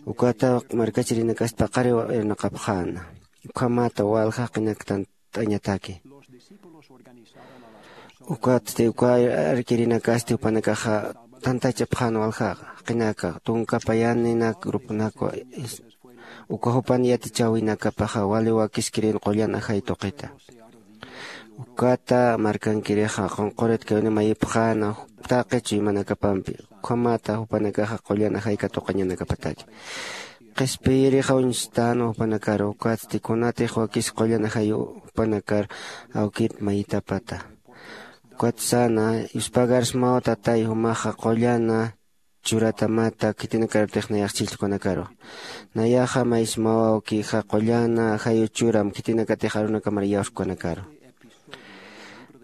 Ukata markachirinakasti paqariw irnaqapxäna. Ukhamata walja qinaktan t'añataki. Ukatsti uka arkirinakasti jupanakaxa tantachapxän waljaxa qinaka tunka payaninak gruponakwa. Uka jupan yatichäwinakapaxa wali wakiskirin qullan ajay tuqita. Ukata markankirixa qunqurit kawina mayipxäna taqi chuymanakapampi. Ukhamata jupanakaxa qullan ajay katuqañanakapataki. Qhispiyirixa uñstänwa jupanakaru ukatsti kunatix wakis qullan ajayu jupanakar awkit mayitapata. Ukat säna, yuspagarsmaw tatay jumaxa qullana churatamata khitinakarutix nayax chhijllkunakaru. Nayaxa maysmaw awkixa qullana ajayu churam khitinakatix arunakamar iyawskukanakaru.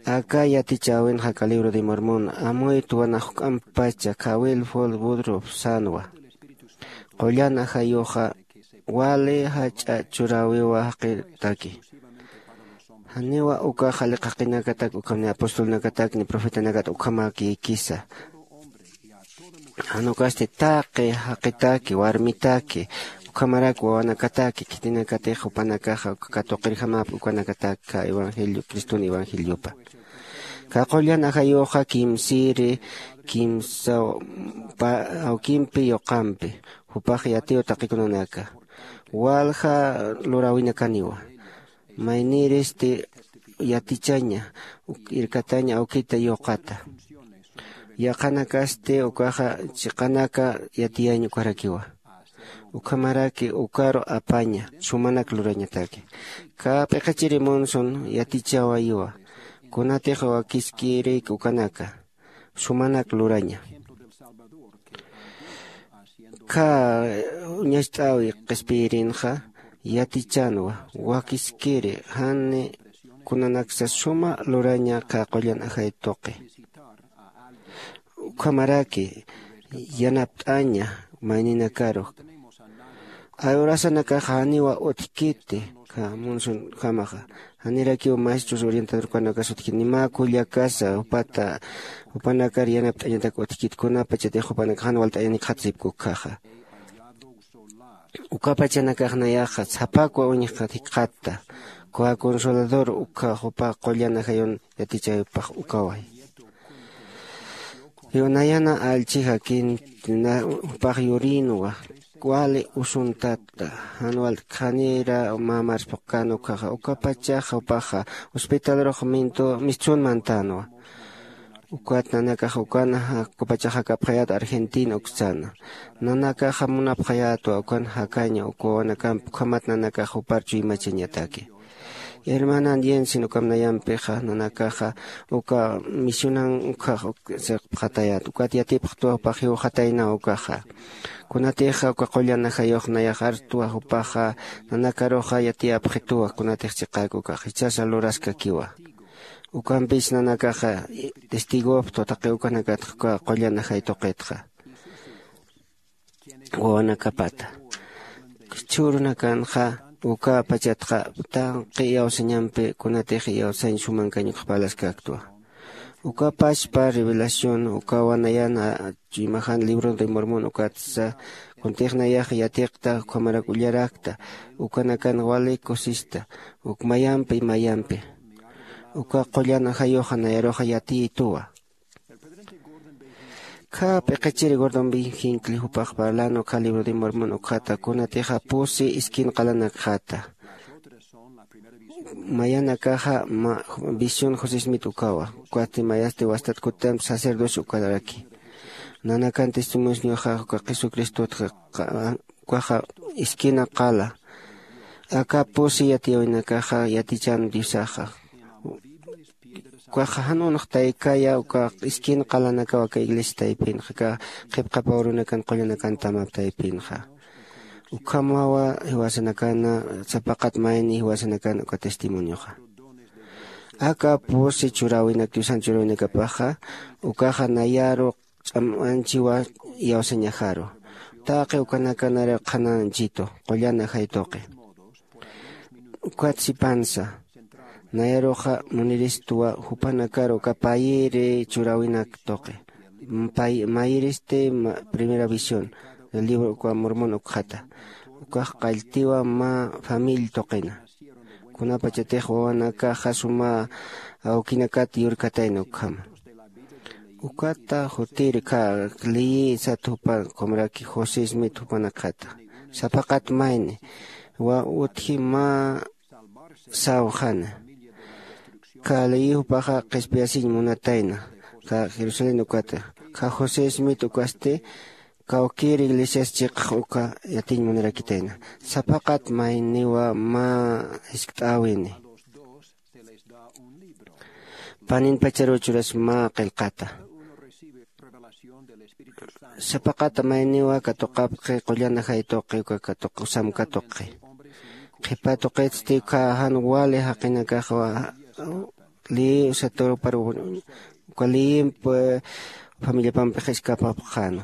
Aka yatichäwinxa aka libro de Mormon amuytwa nax juk'ampacha khawil ful budruf sänwa. Qullan ajayuxa wali jach'a churäwiwa jaqitaki. Janiwa ukax jaliq jaqinakatak ukham ni apostolnakatak ni profetanakat ukhamäkïkisa. Jan ukasti taqi jaqitaki warmitaki ukhamarak wawanakataki khitinakatix jupanakaxa uka katuqirjamäp ukanakatak evangelio cristun evangeliopa. Ka qullan ajayuxa kimsiri kimsa awkimpi yuqampi jupax yatiw taqikunanaka. Walja luräwinakaniwa maynïristi yatichaña irkataña awkita yuqata. Yaqanakasti ukaxa chiqanaka yatiyañ ukarakiwa. Ukhamaraki ukaru apaña sumanak lurañataki. Ka p'iqichiri munsun yatichäwayiwa kunatix wakiskirïk ukanaka sumanak luraña. Kha uñacht'äwi qhispiyirinxa yatichänwa wakiskiri jan kunanaksa suma luraña kha qullan ajay tuqi. Ukhamaraki yanapt'aña mayninakaru. Ay urasanakaxa janiwa utjkiti kha munsunkamaxa. Janirakiw maestros orientadorkanakas utjkiti nimä kullakasa jupata jupanakar yanapt'añatak utjkiti kunapachatix jupanakax jan walt'ayanikxatasipki ukkhaxa. Ukapachanakax nayaxa sapakwa uñjkxat jikxatta. Kuwa consolador ukkha jupa qullan ajayun yatichäwipax ukaway. Nayana allchi jakin jupax yurinwa wali usuntatta jan walt'kxanira mä mars phuqkän ukkhaxa ukapachaxa jupaxa hospitalrux mintu mistsun mantänwa. Ukat nanakax ukan kupachax jakapxayät argentina ukstsäna. Nanakaxa munapxayätwa ukan jakaña uk wawanakamp ukhamat nanakax jupar chuymachañataki. Hermanan yensin ukham nayampixa nanakaxa uka misionan ukkhax sirqpxatayät ukat yatipxtwa jupax jiwxataynaw ukaxa. Kunatixa uka qullan ajayux nayax artwa jupaxa nanakaruxa yatiyapxituwa kunatix chiqäk ukax jichhasa luraskakiwa. Ukampis nanakaxa testigopxtwa taqi ukanakatxa uka qullan ajay tuqitxa wawanakapata. Jichhürunakanxa uka pachatxa tanqi iyawsañampi kunatix iyawsañ sumankañ ukx parlaskaktwa. Uka pachpa revelación ukawa nayana chuymajan libro de mormon ukatsa kuntix nayax yatiqta ukhamarak ullarakta. Ukanakan wali kusista uk mayampi mayampi uka qullan ajayuxa nayaruxa yatiyituwa. Kha p'iqichiri gordon bin jinkli jupax parlan ukha libro de mormon ukhata kunatixa pusi iskin qalanakxata. Mayanakaxa visión josesmit ukawa ukatsti mayasti wastat kutamp sacerdocio ukaraki. Nanakan testimonioxa uka jesucristotxa ukaxa iskina qala aka pusi yatiyäwinakaxa yatichan diosaxa. Ukaxa jan unxtaykaya uka iskin qalanakaw aka iglesia taypinxa aka qhipqapaw runakan qullanakan tamap taypinxa. Ukhamawa jiwasanakana sapaqat mayni jiwasanakan uka testimonioxa. Aka pusi churäwinak diosan churäwinakapaxa ukaxa nayaru ch'amanchiwa iyawsañajaru. Taqi ukanakanara qhananchitu qullan ajay tuqi. Ukat sipansa nayaruxa muniristwa jupanakaru uka payiri churäwinak tuqi. Mayiristi primera visión del libro uka mormon ukxata. Ukax qalltiwa mä famill tuqina kunapachatix wawanakaxa suma awkinakat yurkatayna ukhama. Ukata jutir kha liyï sat jupan kumraki josismit jupanakxata sapaqat mayni wa utji mä sawxana. Kha ley jupaxa qhispiyasiñ munatayna, kha Jerusalén ukata, kha José Smith ukasti, kawkïr iglesias chiqax uka yatiñ munarakitayna. Sapaqat mayniwa mä jiskt'äwini. Panin pacharuchuras mä qillqata. Sapaqat mayniwa katuqapxi, qullan ajay tuqi, uka katuq-, sam katuqi. Qhipa tuqitsti uka jan wali jaqinakaxwa lï saturupar uka lïmp familiapampix iskapapxäna.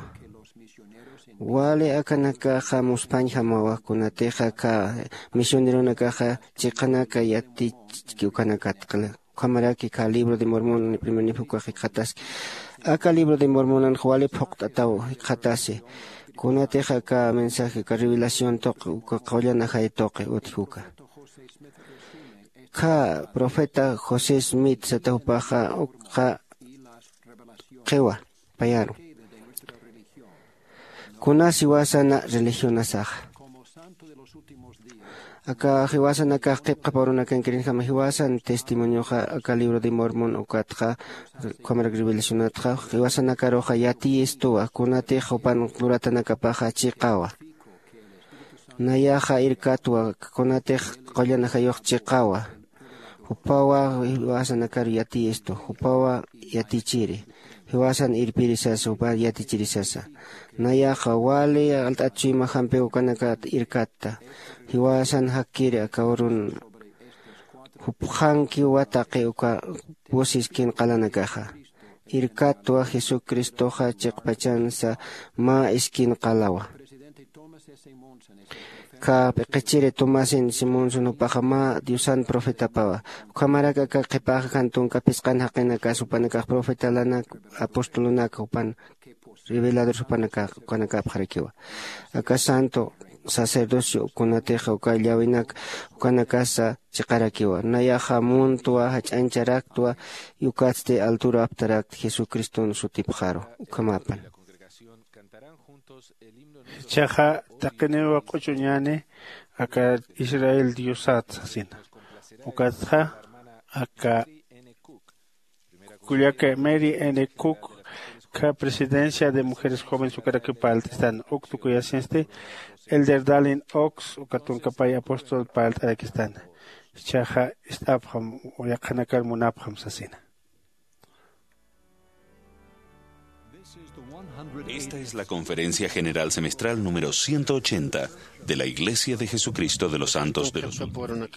Wali akanakaxa muspañjamawa, kunatixa aka misioneronakaxa chiqanaka yatichki ukanakatqla. Ukhamaraki aka libro de Mormon primer nip ukax jikxataski. Aka libro de Mormonanx wali phuqt'ataw jikxatasi. Kunatixa aka mensaje, aka revelación tuqi, uka qullan ajay tuqi utji uka. Kha profeta José Smith sata jupaxa ukxa qhiwa payaru. Kunas jiwasana religionasaxa. Aka jiwasanakax qhipqap arunakankirïnjama jiwasan testimonioxa aka libro de Mormon ukatxa, ukhamarak revelacionatxa, jiwasanakaruxa yatiyistuwa, kunatix jupan luratanakapaxa chiqawa. Nayaxa irkatwa, kunatix qullan ajayux chiqawa. Jupawa jiwasanakaru yatiyistu, jupawa yatichiri. Jiwasan irpiri sasa, jupa yatichiri sasa. Nayaxa wali alt'at chuyma jampi ukanakat irkatta. Jiwasan jakkiri aka urun jupxankiwa taqi uka pus iskin qalanakaxa. Irkatwa Jesucristoxa chiqpachansa mä iskin qalawa. Kha p'iqichiri Tomasin Simonson jupaxa mä Diosan profetapawa. Ukhamarak aka qhipaxa jan tunka phisqan jaqinakas jupanakax profetalanak, apostolonak jupan reveladores jupanaka, ukanakapxarakiwa. Aka santo sacerdocio kunatixa uka llawinaka ukanakasa chiqarakiwa. Nayaxa muntwa, jach'añcharaktwa, y ukatsti alturu aptarakt Jesucriston sutipxaru. Ukhamapan. Jichhaxa taqiniw q'uchuñäni aka Israel Diosat sasina. Ukatxa aka kullaka Mary N. Cook, kha Presidencia de Mujeres Jóvenes ukarakiw parlt'istan, uk tukuyasinsti Elder Dallin Oaks, uka tunka pay apóstol parlt'arakistan. Jichhaxa ist'apxam, yaqhanakar munapxam sasina. Esta es la Conferencia General Semestral número ciento ochenta de la Iglesia de Jesucristo de los Santos de los Últimos.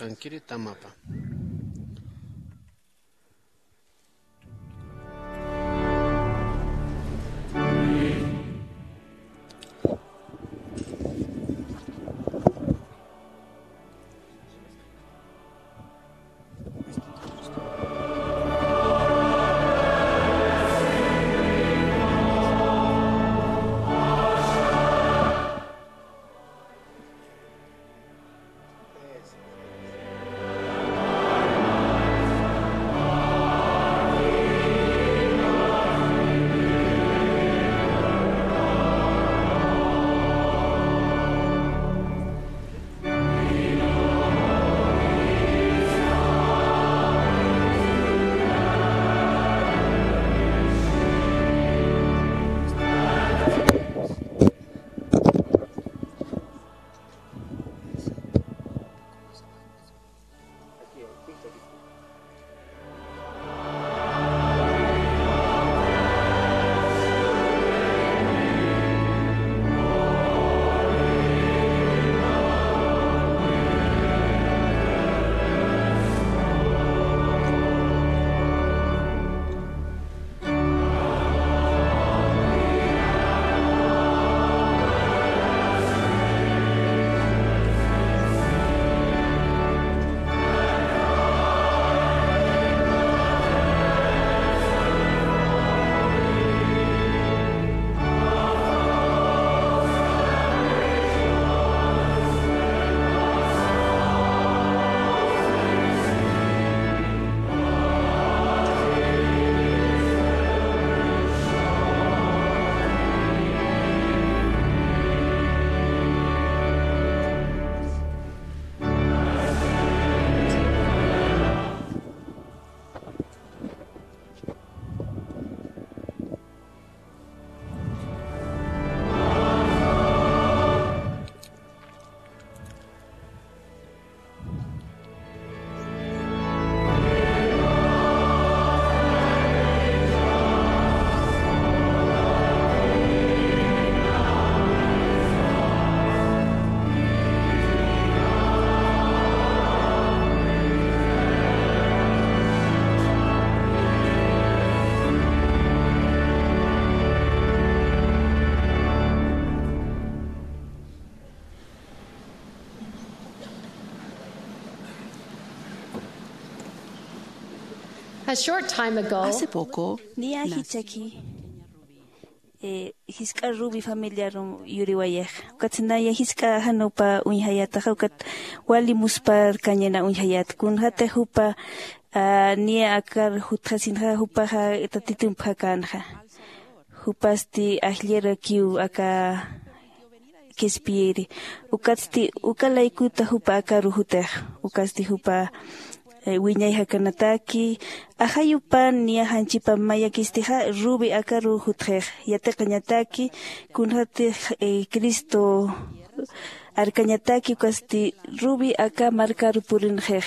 A short time ago, hace poco, niya jichaki, eh, jisk'a Ruby familiarum yuriwayix. Ukat naya jisk'a janupa uñjayataxa, ukat wali muspar kañena uñjayat. Kunxata jupa, ah, niya akar jutxasinxa, jupaxa tatitumpxakanxa. Jupasti ajllirakiw aka qhispiyiri. Ukatsti uka laykuta jupa akaru jutix. Ukatsti jupa, eh, wiñay jakanataki, ajayupan niya janchipa mayakistixa, Ruby akaru jutxix. Yatiqañataki, kunxatix, eh, Cristo arkañataki, ukatsti Ruby aka markaru purinxix.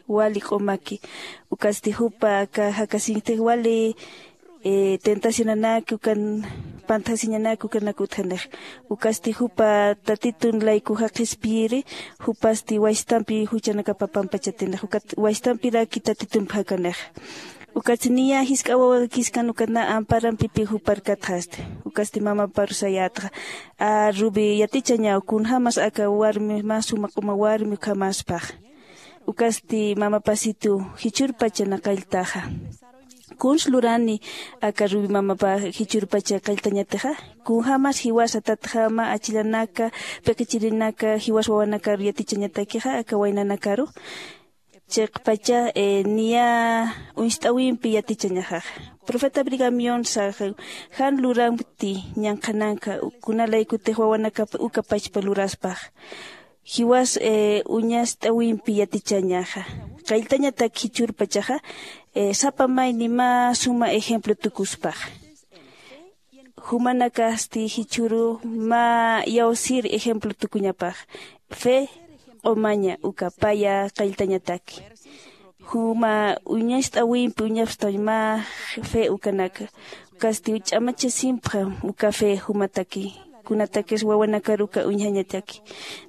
Wali q'umaki. Ukatsti jupa aka jakasinktix wali, eh, tentacionanaki, ukan pantasiñanaki, ukanak utjanix. Ukatsti jupa tatitun laykuxa qhispiyiri, jupasti waystampi juchanakapa pampachatinix. Ukat waystampiraki tatitumpxakanix. Ukatsti niya jisk'a wawakiskan, ukat na amparampipi jupar katxasti. Ukatsti mamaparu sayätxa. A, Ruby, yatichañaw, kunjämas aka warmi, mä suma q'uma warmi ukhamäspax. Ukatsti mamapasitu jichhürpacha na qalltaxa. Kuns lurani aka Ruby mamapa jichhürpacha qalltañatixa. Kunjämas jiwasa tatjama achilanaka, p'iqichirinaka, jiwas wawanakaru yatichañatakixa, aka waynanakaru. Chiqpacha, eh, niya uñst'awimpi yatichañaxaxa. Profeta Brigham Young saxa, jan luramti ñanqhananka, kuna laykutix wawanakap uka pachpa luraspax. Jiwas, eh, uñast'awimpi yatichañaxa. Qalltañatak jichhürpachaxa, eh, sapa mayni mä suma ejemplo tukuspax. Jumanakasti jichhüru mä iyawsir ejemplo tukuñapax. Fe q'umaña uka paya qalltañataki. Juma uñast'awimpi uñapstañ mä fe ukanaka. Ukasti ch'amachasimpxam uka fe jumataki. Kunatakis wawanakar uka uñjañataki.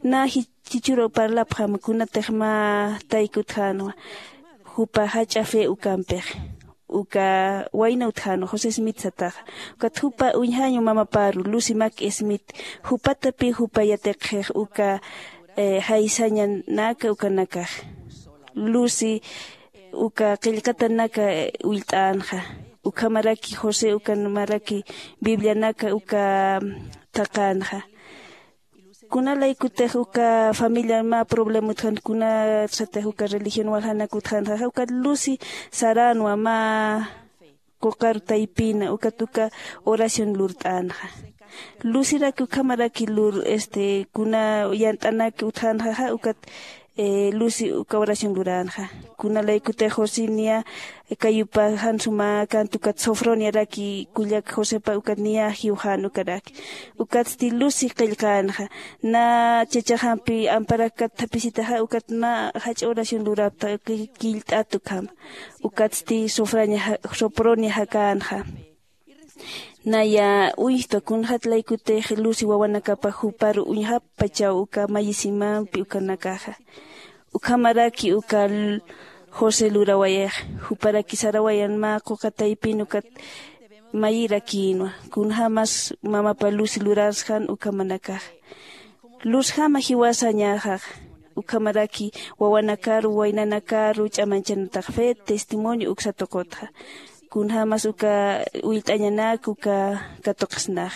Na ji-, jichhüru parlapxam kunatix mä tayki utjänwa. Jupa jach'a fe ukampix. Uka wayna utjänwa José Smith sataxa. Ukat jupa uñjañu mamaparu, Lucy Mack Smith, jupatapï jupa yatiqxix uka, eh, jaysañanaka ukanakax. Lucy uka qillqatanaka, eh, ullt'änxa. Ukhamaraki José, ukhamaraki Biblianaka uka thaqänxa. Kuna laykutix uka familiar mä problema utjan, kuna satix uka religión waljanak utjanxa, ukat Lucy saränwa mä quqar taypina, ukat uka oración lurt'änxa. Lucyrak ukhamaraki lur, este, kuna yant'anak utjanxa, ukat, eh, Lucy uka oración luränxa. Kuna laykutix José niya, kayupa jan suma kant ukat Sofroniaraki kullak Josepa ukat niya jiwxän ukaraki. Ukatsti Lucy qillqänxa. Na chachaxampi amparakat thaphisitaxa ukat mä jach'a oración lurapta ki-, killt'at ukhama. Ukatsti Sofrania ja-, Sopronia jakänxa. Naya uñjta kunxat laykutix Lucy wawanakapa juparu uñjapachaw uka mayisimampi ukanakaxa. Ukhamaraki uka l-, José lurawayix, juparaki sarawayan mä quqa taypin ukat mayirakïnwa, kunjämas mamapa Lucy lurasxan ukhamanakax. Luzjama jiwasañaxax, ukhamaraki wawanakaru, waynanakaru ch'amanchanatax fe testimonio uksa tuqutxa. Kunjämas uka ullt'añanak uka katuqsnax.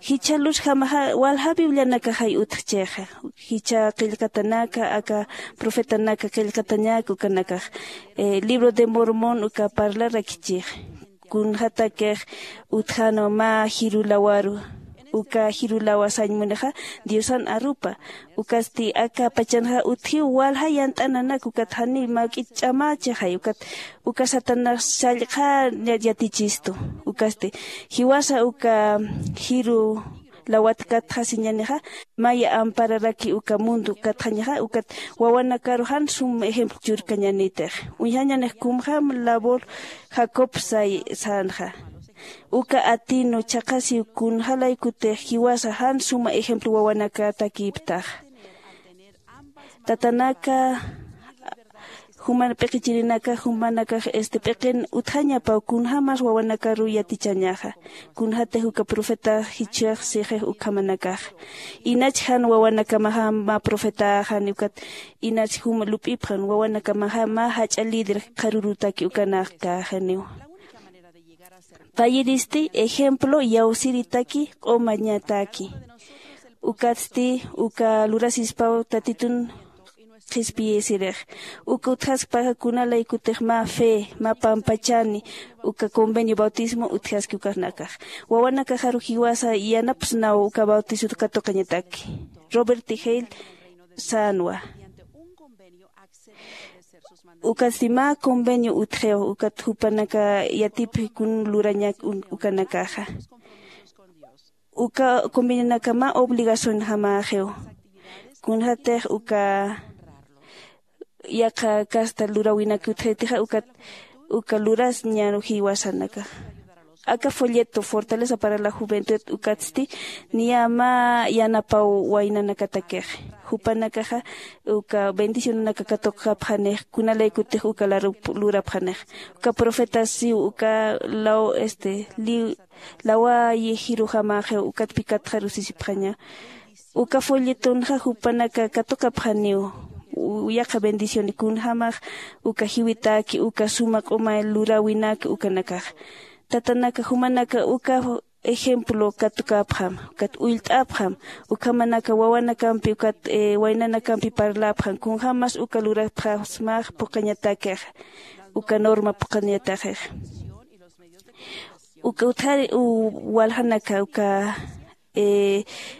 Jichha luzjamaxa, walja Biblianakaxay utjchixa. Jichha qillqatanaka, aka profetanaka qillqatañak ukanakax, eh, Libro de Mormon uka parlarakichix. Kunxatakix utjänwa mä jiru lawaru. Uka jiru lawa sañ munixa Diosan arupa. Ukasti aka pachanxa utjiw walja yant'ananak ukat jani mä k'it ch'amächixay ukat uka Satanás sallqha ya-, yatichistu. Ukasti, jiwasa uka jiru lawat katxasiñanixa, maya ampararaki uka mundo katxañaxa, ukat wawanakaru jan sum ejemplo churkañanitix. Uñjañanix kumjam labor Jacob say-, sanxa. Uka atinu chhaqhasiw kunja laykutix jiwasa jan suma ejemplo wawanakatakïptaxa. Tatanaka, Juman p'iqichirinakax jumanakax este p'iqin utjañapaw kunjämas wawanakaru yatichañaxa. Kunjatix uka profetax jichhax sixix ukhamanakaxa inach jan wawanakamaxa mä profetaxani ukat inach juma lup'ipxan wawanakamaxa mä jach'a líder qharürutaki ukanakkäxaniwa. Payiristi ejemplo iyawsiritaki q'umañataki. Ukatsti uka lurasispaw tatitun qhispiyisirix. Uka utjaskpaxa kunalaykutix mä fe mä pampachani uka convenio bautismo utjaski ukanakax wawanakaxaru jiwasa yanapsnaw uka bautisot katuqañataki. Robert hale sänwa. Ukatsti mä convenio utjiw ukat jupanaka yatipxi kun lurañak ukanakaxa. Uka convenionaka mä obligacionjamäxiw. Kunjatix uka yaqha casta luräwinak utjaytixa ukat uka lurasñaru jiwasanakaxa. Aka folleto fortaleza para la juventud ukatsti niya mä yanapaw waynanakatakix. Jupanakaxa uka bendicionanaka katuqapxanix kunalaykutix uka lurapxanix. Uka profeta siw uka law este lawayi jirujamäxiw ukatpi katxarusisipxaña. Uka folletonxa jupanaka katuqapxaniw yaqha bendición kunjämax uka jiwitaki uka suma q'uma luräwinaki ukanakaxa. Tatanaka jumanaka uka ejemplo katukäpxam ukat ullt'apxam. Ukhamanaka wawanakampi ukat waynanakampi parläpxam kunjämas uka lurapxasmax phuqhañatakixa uka norma phuqhañatakixa. Uka utjari waljanaka uka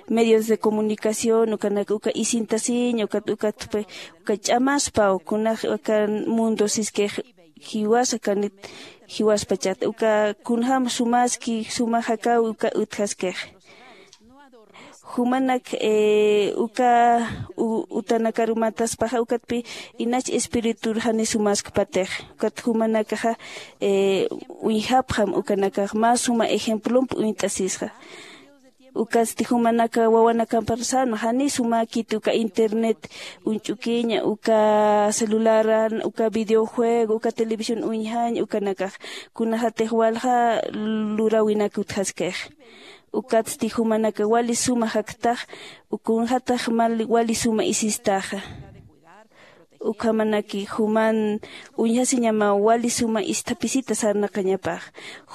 medios de comunicación ukanaka uka isintasiña ukat ukat uka ch'amaspaw kunax uka mundo siskix jiwasa kanit jiwaspachata uka kunjäm sumaski suma jakaw uka utjaskix. Jumanak uka utanakaru mataspaxa ukatpi inach espiritur jani sumaskpatix ukat jumanakaxa uñjapxam ukanakax mä suma ejemplomp uñt'asisxa. Ukatsti jumanaka wawanakampar sänwa jani sumäkiti uka internet uñch'ukiña uka celularan uka videojuego uka televisión uñjañ ukanakax kunajatix walja luräwinak utjaskix. Ukatsti jumanaka wali suma jaktax kunjatax wali suma isistaxa. Ukhamanaki juman uñjasiñamaw wali suma isthapisita sarnaqañapax.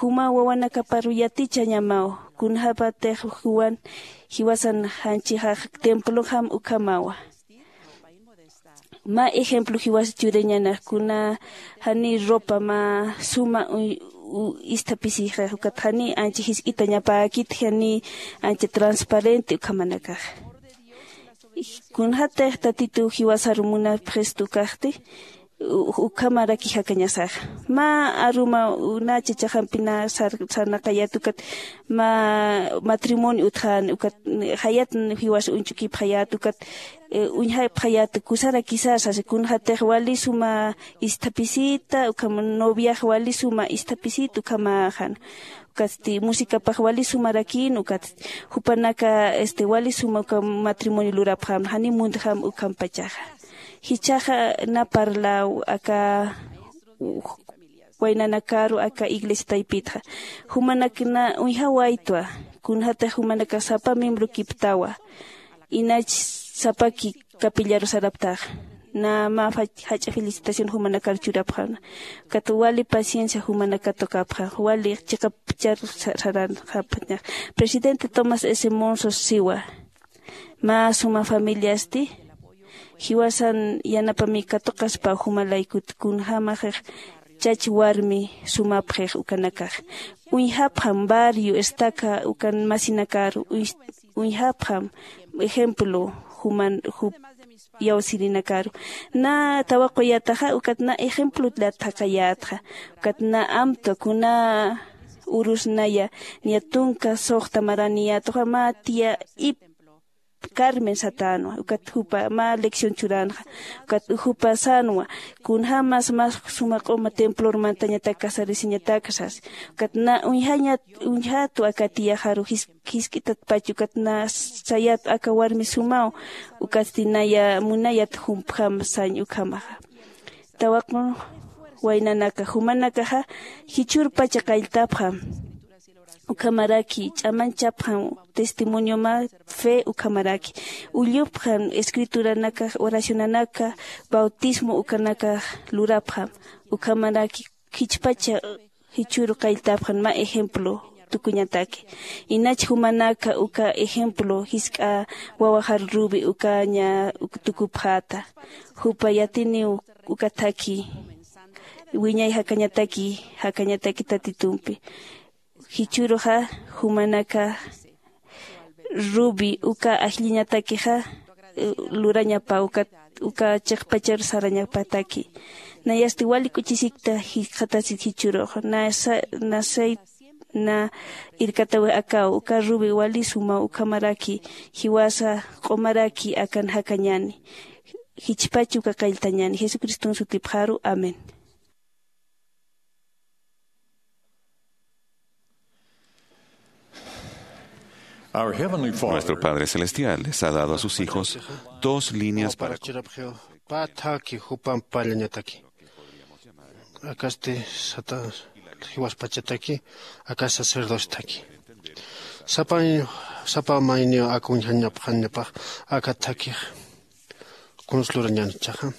Juma wawanakaparu yatichañamaw kunjapatix juwan jiwasan janchixax templojam ukhamawa. Mä ejemplo jiwas churiñanax kuna jani ropa mä suma isthapisixax ukat jani ancha jisk'itañapäkit jani ancha transparente ukhamanakax. Kunjatix tatitu jiwasaru munapxistu ukaxti ukhamaraki jakañasaxa. Mä aruma na chachaxampi na sarnaqayät ukat mä matrimonio utjän ukat jayat jiwas uñch'ukipxayät ukat uñjapxayät kusarakisar sasa kunjatix wali suma isthapisita ukham noviax wali suma isthapisita ukhamäxan. Ukatsti musicapax wali sumarakïn ukatsti jupanaka este wali suma uka matrimonio lurapxam jani muntjam ukhampachaxa. Jichhaxa na parlaw aka waynanakaru aka iglesia taypitxa jumanak na uñjawaytwa. Kunjatix jumanakax sapa miembrokiptawa inach sapaki capillaru saraptaxa. Na mä jach'a felicitación jumanakar churapxana. Ukat wali paciencia jumanaka tukapxa wali chiqapchar saranxapxañax. Presidente tomás s monso siwa mä suma familiasti jiwasan yanapami katuqaspa jumalaykut kunjämaxix chach warmi sumapxix ukanakax. Uñjapxam barrio estaca ukan masinakaru uñjapxam ejemplo juman jup iyawsirinakaru na tawaquyataxa ukat na ejemplot lataqayatxa. Ukat na amtwa kuna urusnaya niya tunka suxta maraniyatuxa mä tiya ip carmen satänwa ukat jupa mä lección churanxa. Ukat jupa sänwa kunjämas mä suma q'uma templor mantañatak casarisiñatak sas. Ukat na uñjañat uñjätwa aka tiyaxaru jisk'itatpach ukat na sayat aka warmi sumaw. Ukatsti naya munayat jumpjam sañ ukhamaxa. tawaqu waynanaka jumanakaxa jichhürpacha qalltapxam. Ukhamaraki ch'amanchapxam testimonioma fe ukhamaraki ullupxam escrituranaka oracionanaka bautismo ukanakax lurapxam. Ukhamaraki jichhpacha jichhüru qalltapxan mä ejemplo tukuñataki. Inach jumanaka uka ejemplo jisk'a wawaxar rubi ukaña tukupxäta. Jupa yatiniw uka thakhi wiñay jakañataki jakañataki tatitumpi. Jichhüruxa jumanaka rubi uka ajlliñatakixa lurañapa uka uka chiqpachar sarañapataki. Nayasti wali k'uchisikta jikxatasit jichhürux nasa nasay na irkatawix akaw uka rubi wali suma ukhamaraki jiwasa q'umaraki akan jakañäni. Jichhpach uka qalltañäni jesucriston sutipxaru amén. Nuestro Padre Celestial les ha dado a sus hijos dos líneas para pä thaki jupam pallañataki. Akasti sata jiwaspachataki aka sacerdostaki sapa sapa mayniw akuñjañapxañapax aka thakix kunslurañan chaxa.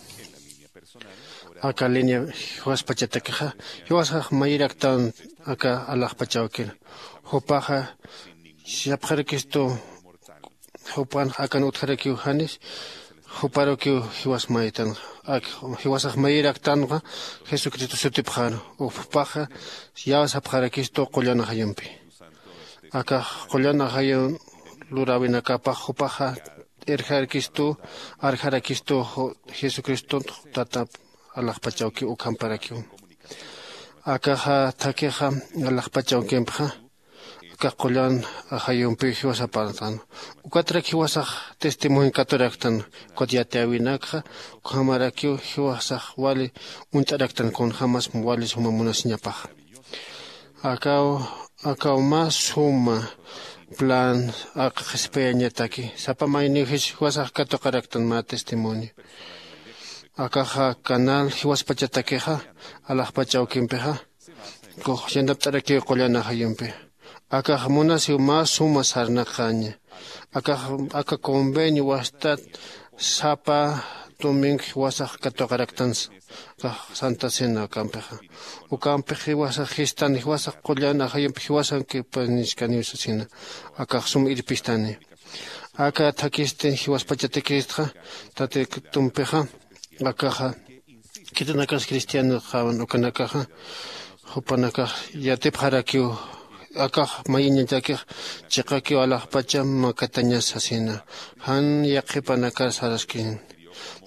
Aka línea jiwaspachatakixa jiwasax mayiraktan aka alaxpachawkir jupaxa sapxarakistu jupan akan utjarakiw janis juparukiw jiwas mayitanxa. Jiwasax mayiraktanxa jesucristo sutipxaru. Jupaxa yäw sapxarakistu qullan ajayumpi akax qullan ajayun luräwinakapax jupaxa irjarakistu arjarakistu jesucristunt tata alaxpachawkiw ukhamparakiw. Akaxa thakhixa alaxpachawkimpixa akax qullan ajayumpiw jiwasapartan ukatrak jiwasax testimonio katuraktan. Ukat yatiyäwinakxa ukhamarakiw jiwasax wali uñt'araktan kunjämas wali suma munasiñapaxa. Akaw akaw mä suma plan aka qhispiyañataki sapa mayniw jiwasax katuqaraktan mä testimonio. Akaxa canal jiwaspachatakixa alaxpach awkimpixa kux yanapt'arakiw qullan ajayumpi. Akax munasiw mä suma sarnaqaña. Akax aka convenio wastat sapa domingo jiwasax katuqaraktansa akax santa cena ukampixa. Ukampix jiwasax jistan jiwasax qullan ajayumpi jiwasankipañiskaniw sasina. Akax sum irpistani aka thakhisti jiwaspachatakistxa tatitumpixa. Akaxa khitinakas cristianoxawan ukanakaxa jupanakax yatipxarakiw akax mayiñatakix chiqakiw alaxpacha makatañas sasina. Jan yaqhipanakar saraskini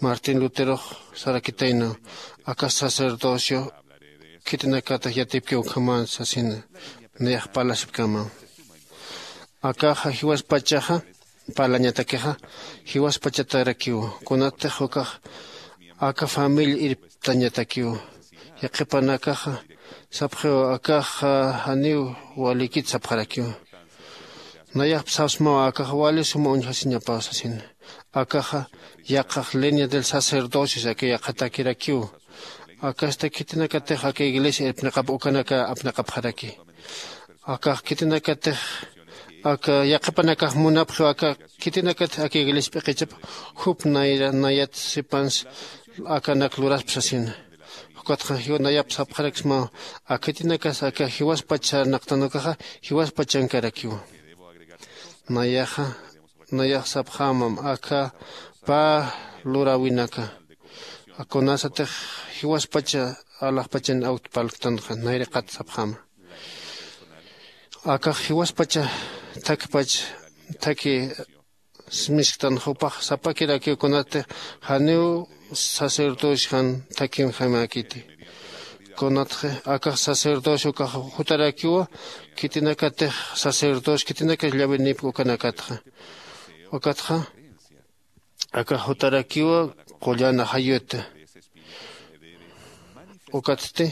martín luterox sarakitaynaw aka sacerdocio khitinakatix yatipkiw ukhaman sasina. Nayax parlasipkamaw akaxa jiwaspachaxa parlañatakixa jiwaspachatarakiw kunatix ukax aka familia irptañatakiw. Yaqhipanakaxa sapxiw akaxa janiw walikit sapxarakiw. Nayax sapsmaw akax wali suma uñjasiñapaw sasina. Akaxa yaqhax línea del sacerdocio saki yaqhatakirakiw. Akasta khitinakatix aka iglesia irpniqap ukanaka apniqapxaraki. Akax khitinakatix aka yaqhipanakax munapxiw aka khitinakatix aka iglesia p'iqichap jup nayra nayat sipans akanak luraspa sasina. Jukatxa jiwa nayap sapxaraksmaw. Akhitinakas aka jiwaspach sarnaqtan ukaxa jiwaspach chankarakiwa. Nayaxa nayax sapxämam aka pä luräwinaka kunasatix jiwaspacha alaxpachan awtpalktanxa nayriqat sapxäma. Akax jiwaspacha thakpach thakhi smisktan jupax sapakirakiw kunatix janiw sacerdocio jan thakhinjamäkiti. Kunatxi akax sacerdocio ukax jutarakiwa khitinakatix sacerdocio khitinakas llawinipki ukanakatxa. Ukatxa akax jutarakiwa qullan ajayuta. Ukatsti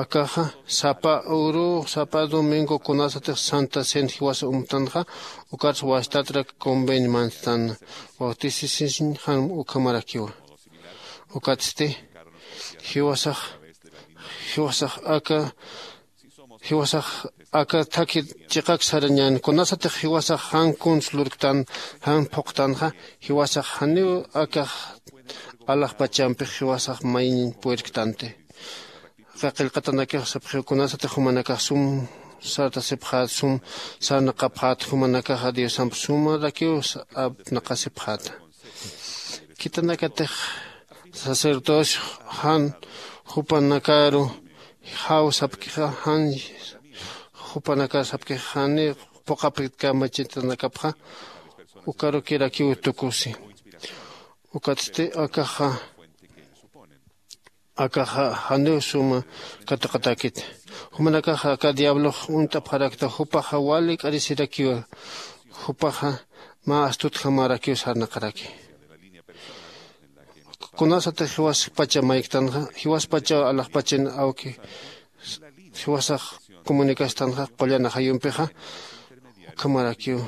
akaxa sapa uru sapa domingo kunasatix santa cena jiwasa umtanxa ukatsa wastatrak convenio manstana. Bautisisiñ jan ukhamarakiwa. Ukatsti Jiwasax jiwasax aka jiwasax aka thakhi chiqak sarañän. Kunasatix jiwasax jan kuns lurktan, jan phuqtanxa, jiwasax janiw akax alaxpachampix jiwasax mayñ purirktanti. Aka qillqatanakix sapxiw kunasatix jumanakax sum sartasipxät, sum sarnaqapxät, jumanakaxa diosamp sumarakiw apnaqasipxäta. Khitinakatix sacerdocio jan jupanakaru jaw sapkixa, jan jupanakar sapkixa jani phuqhapit kamachitanakapxa, ukarukirakiw tukusi. Ukatsti akaxa akaxa janiw suma katuqatäkit. Jumanakaxa aka diablox uñt'apxarakta, jupaxa wali k'arisirakiwa. Jupaxa mä astutjamarakiw sarnaqaraki. Kunasatix jiwaspacha mayktanxa, jiwaspachaw alaxpachin awki jiwasax comunicastanxa qullan ajayumpixa, ukhamarakiw.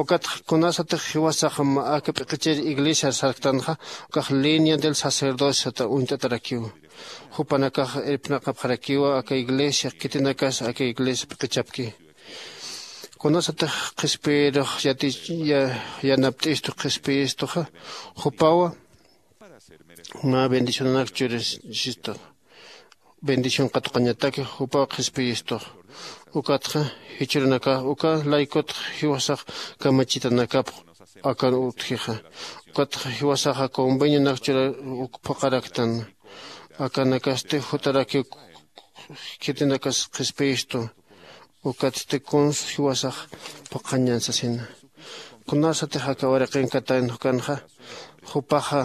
Ukatxa kunasatix jiwasax mä aka p'iqichir iglesiar sarktanxa, ukax línea del sacerdociota uñt'atarakiw. Jupanakax irpnaqapxarakiwa aka iglesia, khitinakas aka iglesia p'iqichapki. Kunasatix qhispiyirux yati yanapt'istu qhispiyistuxa, jupawa mä bendicionanak churisistu. Bendición katuqañataki jupaw qhispiyistux. Ukatxa jichhürunakax uka laykutx jiwasax kamachitanakapx akan utjixa. Ukatxa jiwasaxa convenionak chura phuqaraktan. Akanakasti jutaraki khitinakas qhispiyistu. Ukatsti kuns jiwasax phuqhañan sasina. Kunasatix aka wariqin katan jukanxa, jupaxa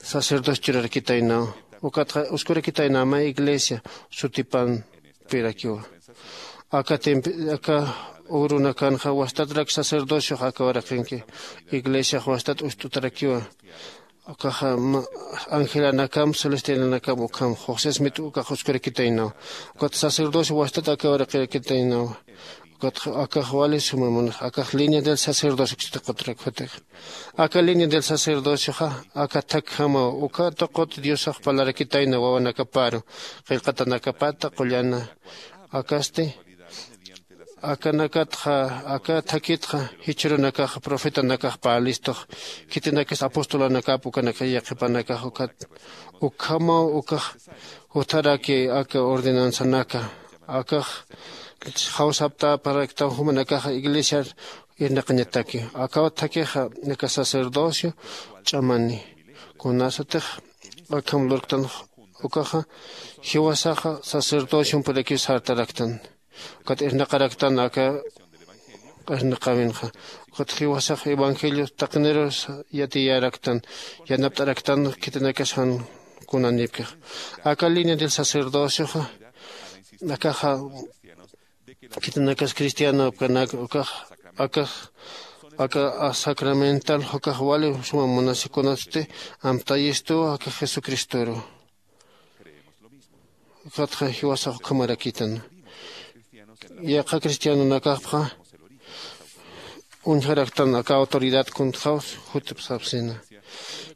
sacerdocio churarakitaynaw. Ukatxa uskurakitaynaw mä iglesia sutipampirakiwa. Aka temp aka urunakanxa wastatrak sacerdociox aka wariqinki, iglesiax wastat ust'utarakiwa. Ukaxa angelanakam celestialanakam ukham josesmit ukax uskurakitaynaw. Ukat sacerdocio wastat aka wariqirakitaynaw. Ukat akax wali suma munax akax línea del sacerdocio kistaqutrak jutix. Aka línea del sacerdocioxa aka thakjamaw uka tuqut diosax parlarakitayna wawanakaparu, qillqatanakapata qullana. Akasti akanakatxa aka thakitxa jichhürunakax profetanakax parlistux, khitinakas apostolanakap ukanaka yaqhipanakax ukat ukhamaw ukax jutharaki aka ordenanzanaka akax jawsaptaparaktaw jumanakaxa iglesiar irnaqañataki. Akaw thakixa aka sacerdocio ch'amani. Kunasatix akham lurktan ukaxa jiwasaxa sacerdociompirakiw sartaraktan. Ukat irnaqaraktan aka irnaqäwinxa. Ukat jiwasax evangelio taqinirus yatiyaraktan, yanapt'araktan khitinakas jan kunanïpkix. Aka línea del sacerdocioxa akaxa khitinakas cristianopkanak ukax akax aka sacramental ukax wali suma munasikunasti amtayistuw aka jesucristoru. Ukatxa jiwasax ukhamarakitan. Yaqha cristianonakapxa uñjaraktan aka autoridad kuntxaw jutipxsapsina.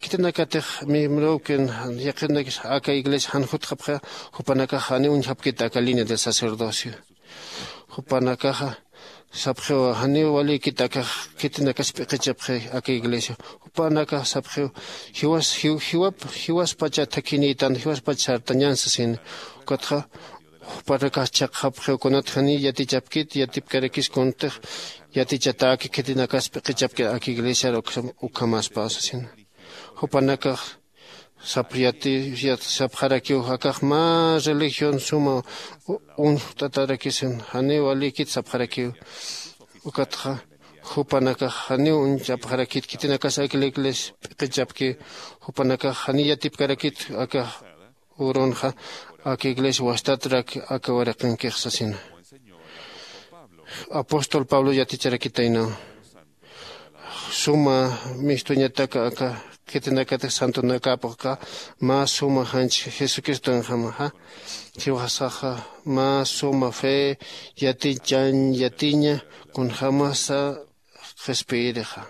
Khitinakatix miembrokin yaqhinakis aka iglesia jan jutxapxa, jupanakax janiw uñjapkit aka línea del sacerdocio. Jupanakaxa sapxiw janiw walïkit akax khitinakas p'iqichapxi aka iglesia. Jupanakax sapxiw jiwas jiwap jiwaspacha thakhinïtan jiwaspacha sartañän sasin. Ukatxa jupanakax chhaqxapxiw kunat janiy yatichapkit yatipkarakis kuntix yatichatäki khitinakas p'iqichapkit aka iglesiar ukhamäspaw sasin. Jupanakax sapxarakiw akax mä religión suma uñjt'atarakisin janiw walïkit sapxarakiw. Ukatxa jupanakax janiw uñchapxarakit khitinakas aka iglesia p'iqichapki. Jupanakax janiy yatipkarakit aka urunxa aka iglesia wastatrak aka wariqinkix sasina. Apóstol pablo yaticharakitaynaw suma mistuñatak aka khitinakatix santonakapxqa mä suma janch jesucristonjamaxa. Jiwasaxa mä suma fe yatichañ yatiña kunjämasa qhispiyirixa.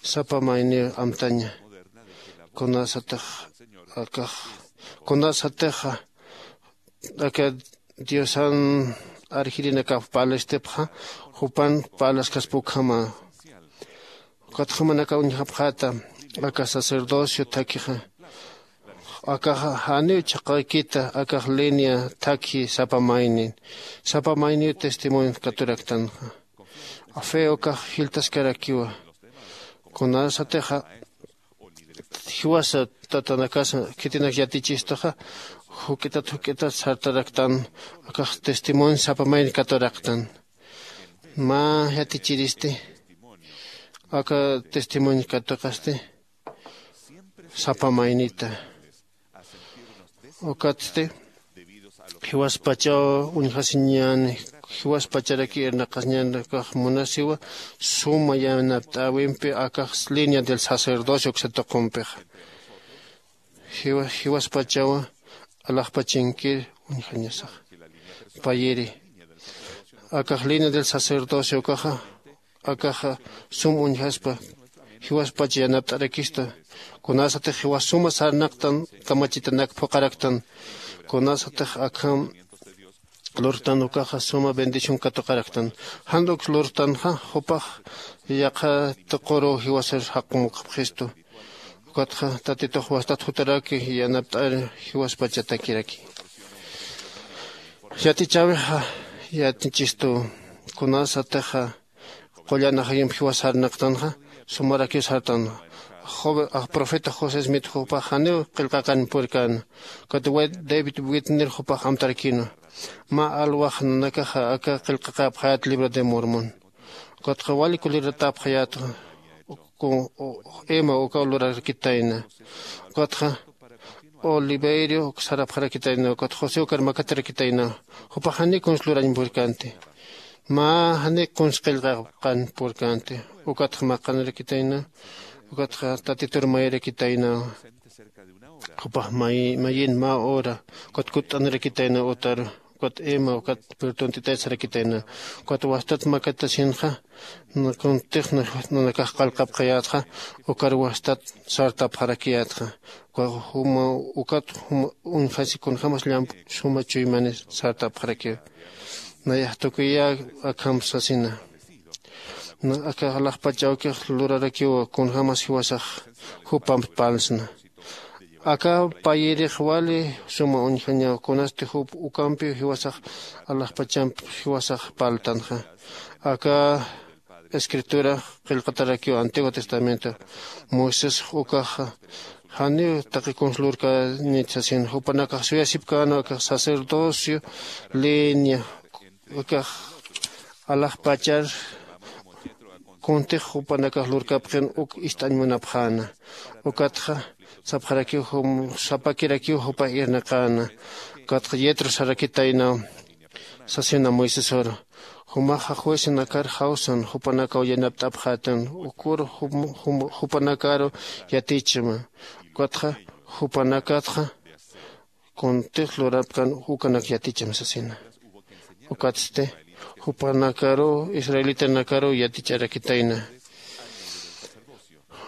Sapa mayniw amtaña Kunasatix akax kunasatixa aka diosan arjirinakap parlastipxa jupan parlaskaspa ukhama. Ukatxa jumanaka uñjapxäta aka sacerdocio thakhixa akaxa janiw chhaqaykita akax línea thakhi sapa maynin sapa mayniw testimonio katuraktanxa. Fe ukax jiltaskarakiwa. Kunasatixa jiwasa tatanakasa khitinak yatichistaxa juk'itat juk'itat sartaraktan akax testimonio sapa mayni katuraktan. Mä yatichiristi aka testimonio katuqasti sapa maynita. Ukatsti jiwaspachaw uñjasiñäni jiwaspacharaki irnaqasiñäni akax munasiwa suma yanapt'äwimpi akax línea del sacerdocio uksa tuqumpixa. Jiwaspachawa alaxpachinkir uñjañasaxa payiri akax línea del sacerdocio ukaxa akaxa sum uñjaspa jiwaspacha yanapt'arakista. Kunasatix jiwas suma sarnaqtan kamachitanak phuqaraktan kunasatix akham lurtan ukaxa suma bendición katuqaraktan. Jan uk lurtanxa jupax yaqha tuquruw jiwasar jaqumukxapxistu. Ukatxa tatitux wastat jutaraki yanapt'ar jiwaspachatakiraki. Yatichäwixa yatichistu kunasatixa qullan ajayump jiwas sarnaqtanxa sumarakiw sartan. Profeta josé smith jupax janiw qillqaqan purkän. Ukat david witner jupax amtarakïnwa mä alwax nanakaxa aka qillqaqäpxayät libro de mormón. Ukatxa wali kuliratäpxayätxa ima ukaw lurarakitayna. Ukatxa oliverio sarapxarakitayna ukat josé ukar makatarakitayna. Jupax janiw kuns lurañ purkänti mä janiw kuns qillqaqan purkänti. Ukatxa maqanarakitayna ukatxa tatitur mayarakitayna. Jupax mayin mä hora ukat kutt'anirakitayna utaru ukat ima ukat pirtuntitay sarakitayna. Ukat wastat makatasinxa kuntix nanakax qallqapxayätxa ukar wastat sartapxarakiyätxa. Ukat uñjasi kunjämas llamp suma chuymani sartapxarakiw. Nayax tukuyä akham sasina aka alaxpach awkix lurarakiw kunjämas jiwasax jupamp parlsna. Aka payirix wali suma uñjañaw kunasti jup ukampiw jiwasax alaxpachamp jiwasax parltanxa. Aka escritura qillqatarakiw antiguo testamento moisés ukaxa janiw taqi kuns lurkäñit sasin jupanakax suyasipkäna akax sacerdocio línea akax alaxpachar kuntix jupanakax lurkapxin uk ist'añ munapxäna. Ukatxa sapxarakiw sapakirakiw jupax irnaqäna. Ukatxa yetro sarakitaynaw sasina moisesor jumaxa juecenakar jawsan jupanakaw yanapt'apxätan ukur jupanakaru yatichma. Ukatxa jupanakatxa kuntix lurapkan ukanak yaticham sasina. Ukatsti jupanakaruw israelitanakaruw yaticharakitayna.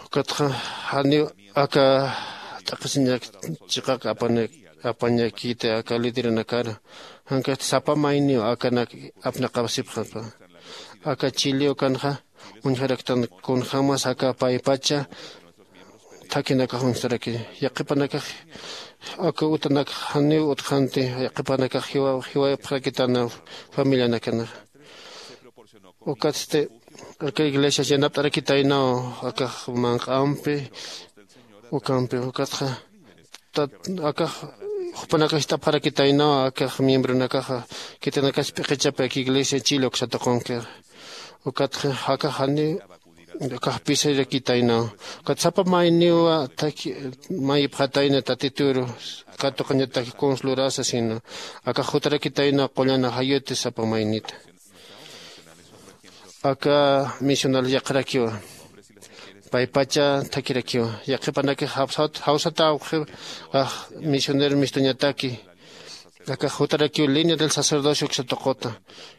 Ukatxa janiw aka t'aqhisiñak chiqak apañakiti aka lideranakaru jankasti sapa mayniw akanak apnaqapsipxapa. Aka chili ukanxa uñjaraktan kunjämas aka paypacha thakhinakax uñjtaraki. Yaqhipanakax aka utanakx janiw utxanti yaqhipanakax jiwayapxarakitana familianakanaxa. Ukatsti aka iglesias yanapt'arakitaynaw akax manq'ampi ukampi ukatxa akax jupanakax ist'apxarakitaynaw akax miembronakaxa khitinakax p'iqichapi aka iglesia chile uksa tuqunkixa. Ukatxa akax janiw akax pisarakitaynaw ukat sapa mayniwa mayipxatayna tatituru katuqañatak kuns lurasa sino akax jutarakitaynaw qullan ajayuti sapa maynita. Aka misional yaqharakiwa paypacha thakirakiwa yaqhipanakix jawsata awqhi ax misionero mistuñataki Akax jutarakiw línea del sacerdocio uksa tuquta.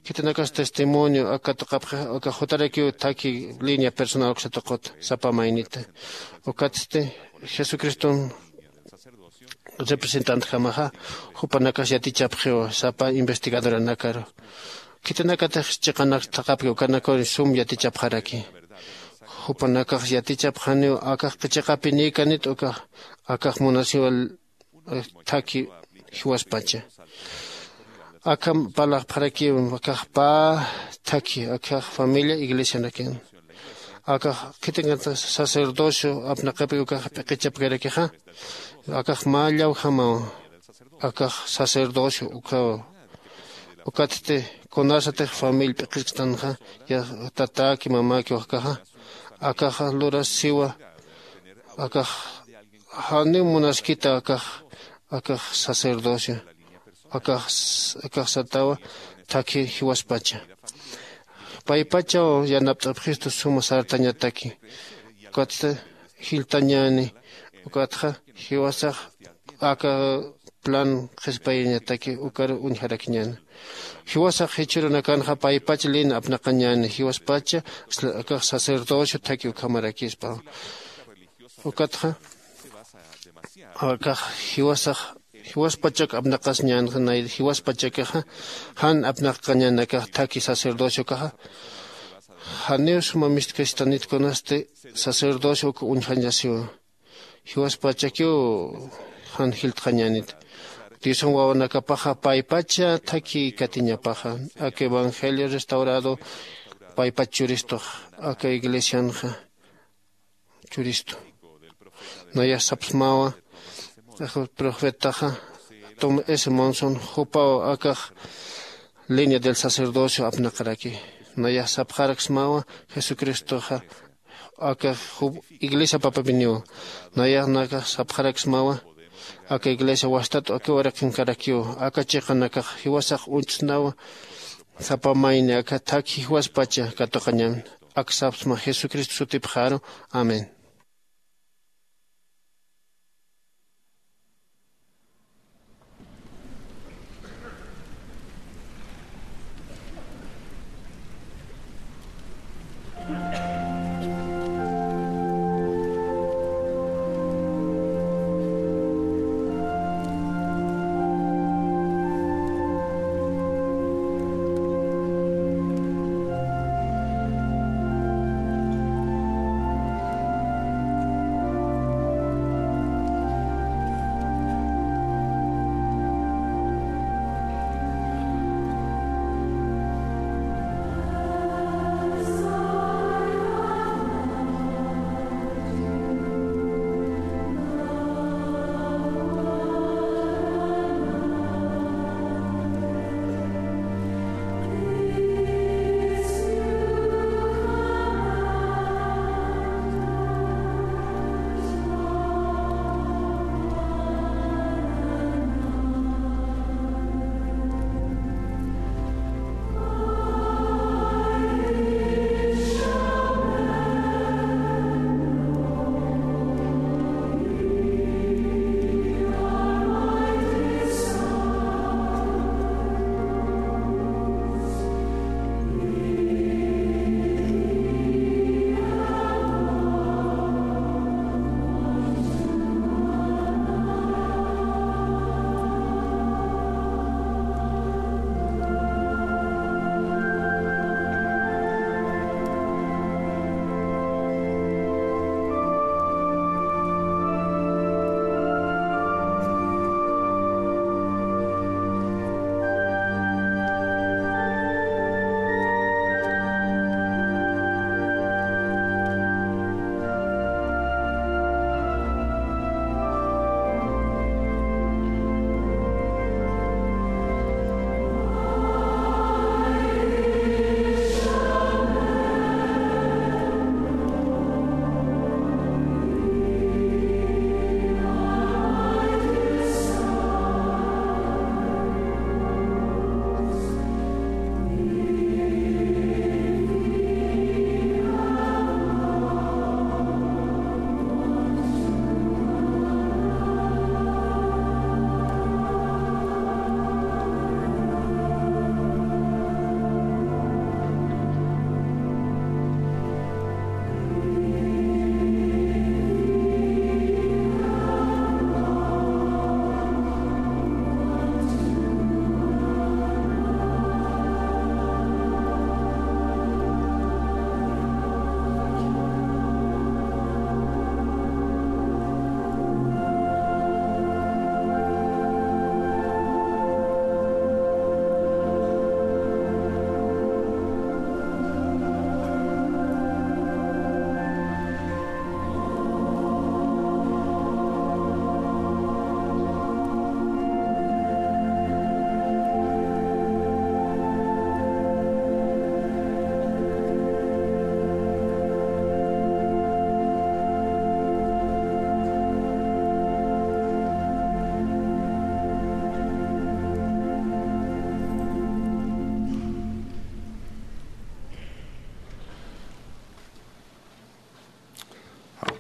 Khitinakas testimonio aka tuqapxi, akax jutarakiw thaki línea personal uksa tuquta sapa maynita. Ukatsti Jesucriston representantjamaxa jupanakas yatichapxiw sapa investigadoranakaru. Khitinakatix chiqanak thaqhapki ukanakar sum yatichapxaraki. Jupanakax yatichapxaniw akax chiqapinïkanit ukax, akax munasiwa thaki jiwaspacha. Akham parlaxpxarakiw akax pä thaki, akax familia iglesianakan. Akax khitinakata sacerdocio apnaqapi ukax p'iqichapkarakixa, akax mä llawjamaw, akax sacerdocio ukhaw. Ukatsti kunasatix familia p'iqichktanxa, ya tatäki mamäki wajkaxa, akaxa lurasiwa, akax janiw munaskita akax, akax sacerdocio, akax, akax satawa thakhi jiwaspacha. Paypachaw yanapt'apxistu suma sartañataki. Ukatsti jilltañäni, ukatxa jiwasax aka plan qhispiyañataki ukar uñjarakiñäni. Jiwasax jichhürunakanxa paypach lin apnaqañäni, jiwaspacha akax sacerdocio thaki ukhamarakispa. Ukatxa akax jiwasax, jiwaspachak apnaqasiñäni, jiwaspachakixa jan apnaqañäni akax thaki sacerdociokaxa. Janiw suma mistkastanit kunasti sacerdocio uk uñjañasiwa. Jiwaspachakiw jan jiltxañänit. Diosan wawanakapaxa paypacha thakïkatiñapaxa. Aka evangelio restaurado paypach churistux, aka iglesianxa churistu. Nayax sapxsmawa, aka profetaxa Tom S. Monson jupaw akax línea del sacerdocio apnaqaraki. Nayax sapxaraksmawa, Jesucristoxa aka jup iglesia papapiniw. Nayax nakax sapxaraksmawa, aka iglesia wastat aka waraqinkarakiw, aka chiqanakax jiwasax uñtsnawa, sapa mayni aka thakhi jiwaspacha katuqañan. Ak sapxsma Jesucristo sutipxaru. Amén.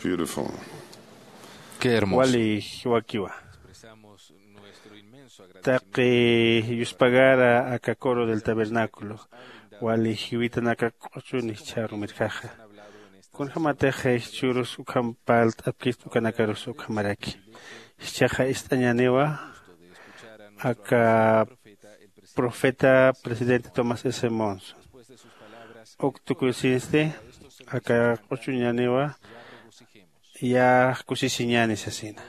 Beautiful. Qué hermoso. Wali jiwakiwa. Taqi yuspagara aka coro del tabernáculo, wali jiwitanaka q'uchuni jichharumirjaxa. Kunjamatix jichhürus ukham parlt'apkist ukanakarus ukhamaraki. Jichhaxa ist'añaniwa aka profeta presidente Thomas S. Monson. Uk tukusinsti aka q'uchuñaniwa ya kusisiñani sasina.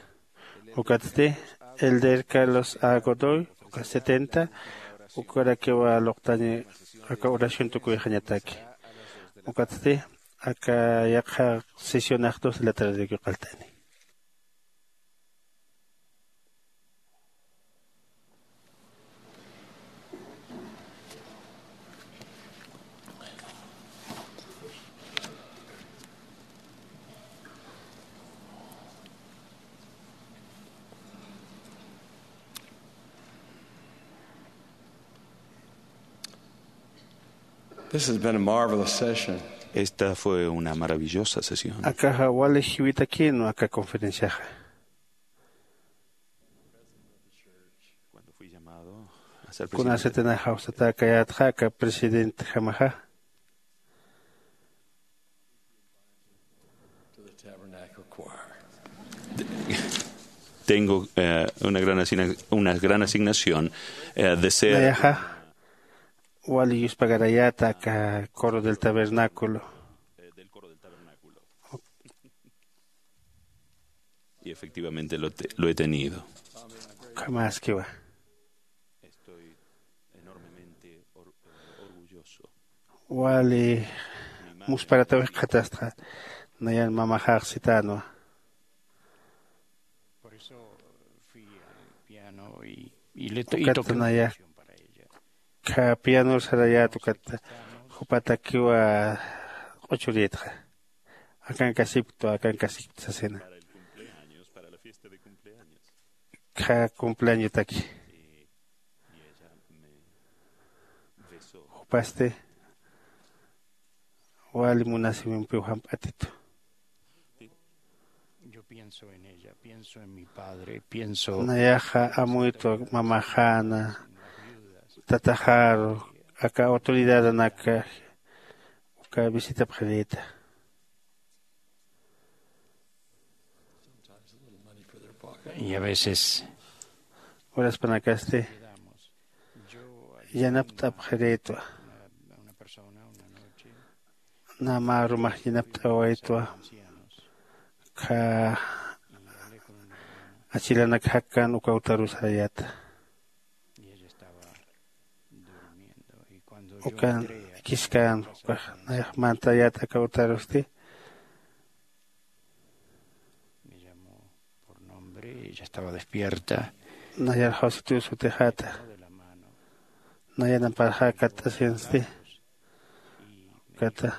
Ukatsti elder Carlos A. Godoy uka setenta ukarakiwa luqtañi aka oración tukuyxañataki. Ukatsti aka yaqha sesionax dos de la tarde yuqaltani. This has been a marvelous session. Esta fue una maravillosa sesión. Akaxa wali jiwitakïnwa aka conferenciaxa. Cuando fui llamado a ser presidente, kunasatinax jawsatäkayätxa aka presidentjamaxa. Tengo eh, una, gran asigna- una gran asignación eh, de ser. Nayaxa wali yuspagarayäta aka coro del tabernáculo. Y efectivamente lo, te- lo he tenido. Ukhamaskiwa. Estoy enormemente or- eh, orgulloso. Wali musparatawix qhatastxa. Nayan mamaxax sitänwa. Por eso fui al piano y, y le to- y ukat toqué una naya canción para ella. Kha pianor sarayät ukat jupatakiwa q'uchurïtxa. Akankasipktwa akankasipkt sasina. Para el cumpleaños, para la fiesta de cumpleaños. Kha cumpleañotaki. Y ella me besó. Jupasti wali munasïwimpiw jamp'atitu. Yo pienso en ella, pienso en mi padre, pienso. Nayaxa amuytwa mamaxäna, tataxaru, aka autoridadanaka uka visitapxirïta. Y a veces uraspanakasti yanapt'apxirïtwa. Nä mä arumax yanapt'awaytwa. Kha achilanak jakkan uka utaru sarayäta. Ukan akiskan ukax nayax mantayät aka utarusti. Por nombre, ella estaba despierta. Nayar jawsitiw sutixäta. Nayan amparxä katt'asinsti. Kata.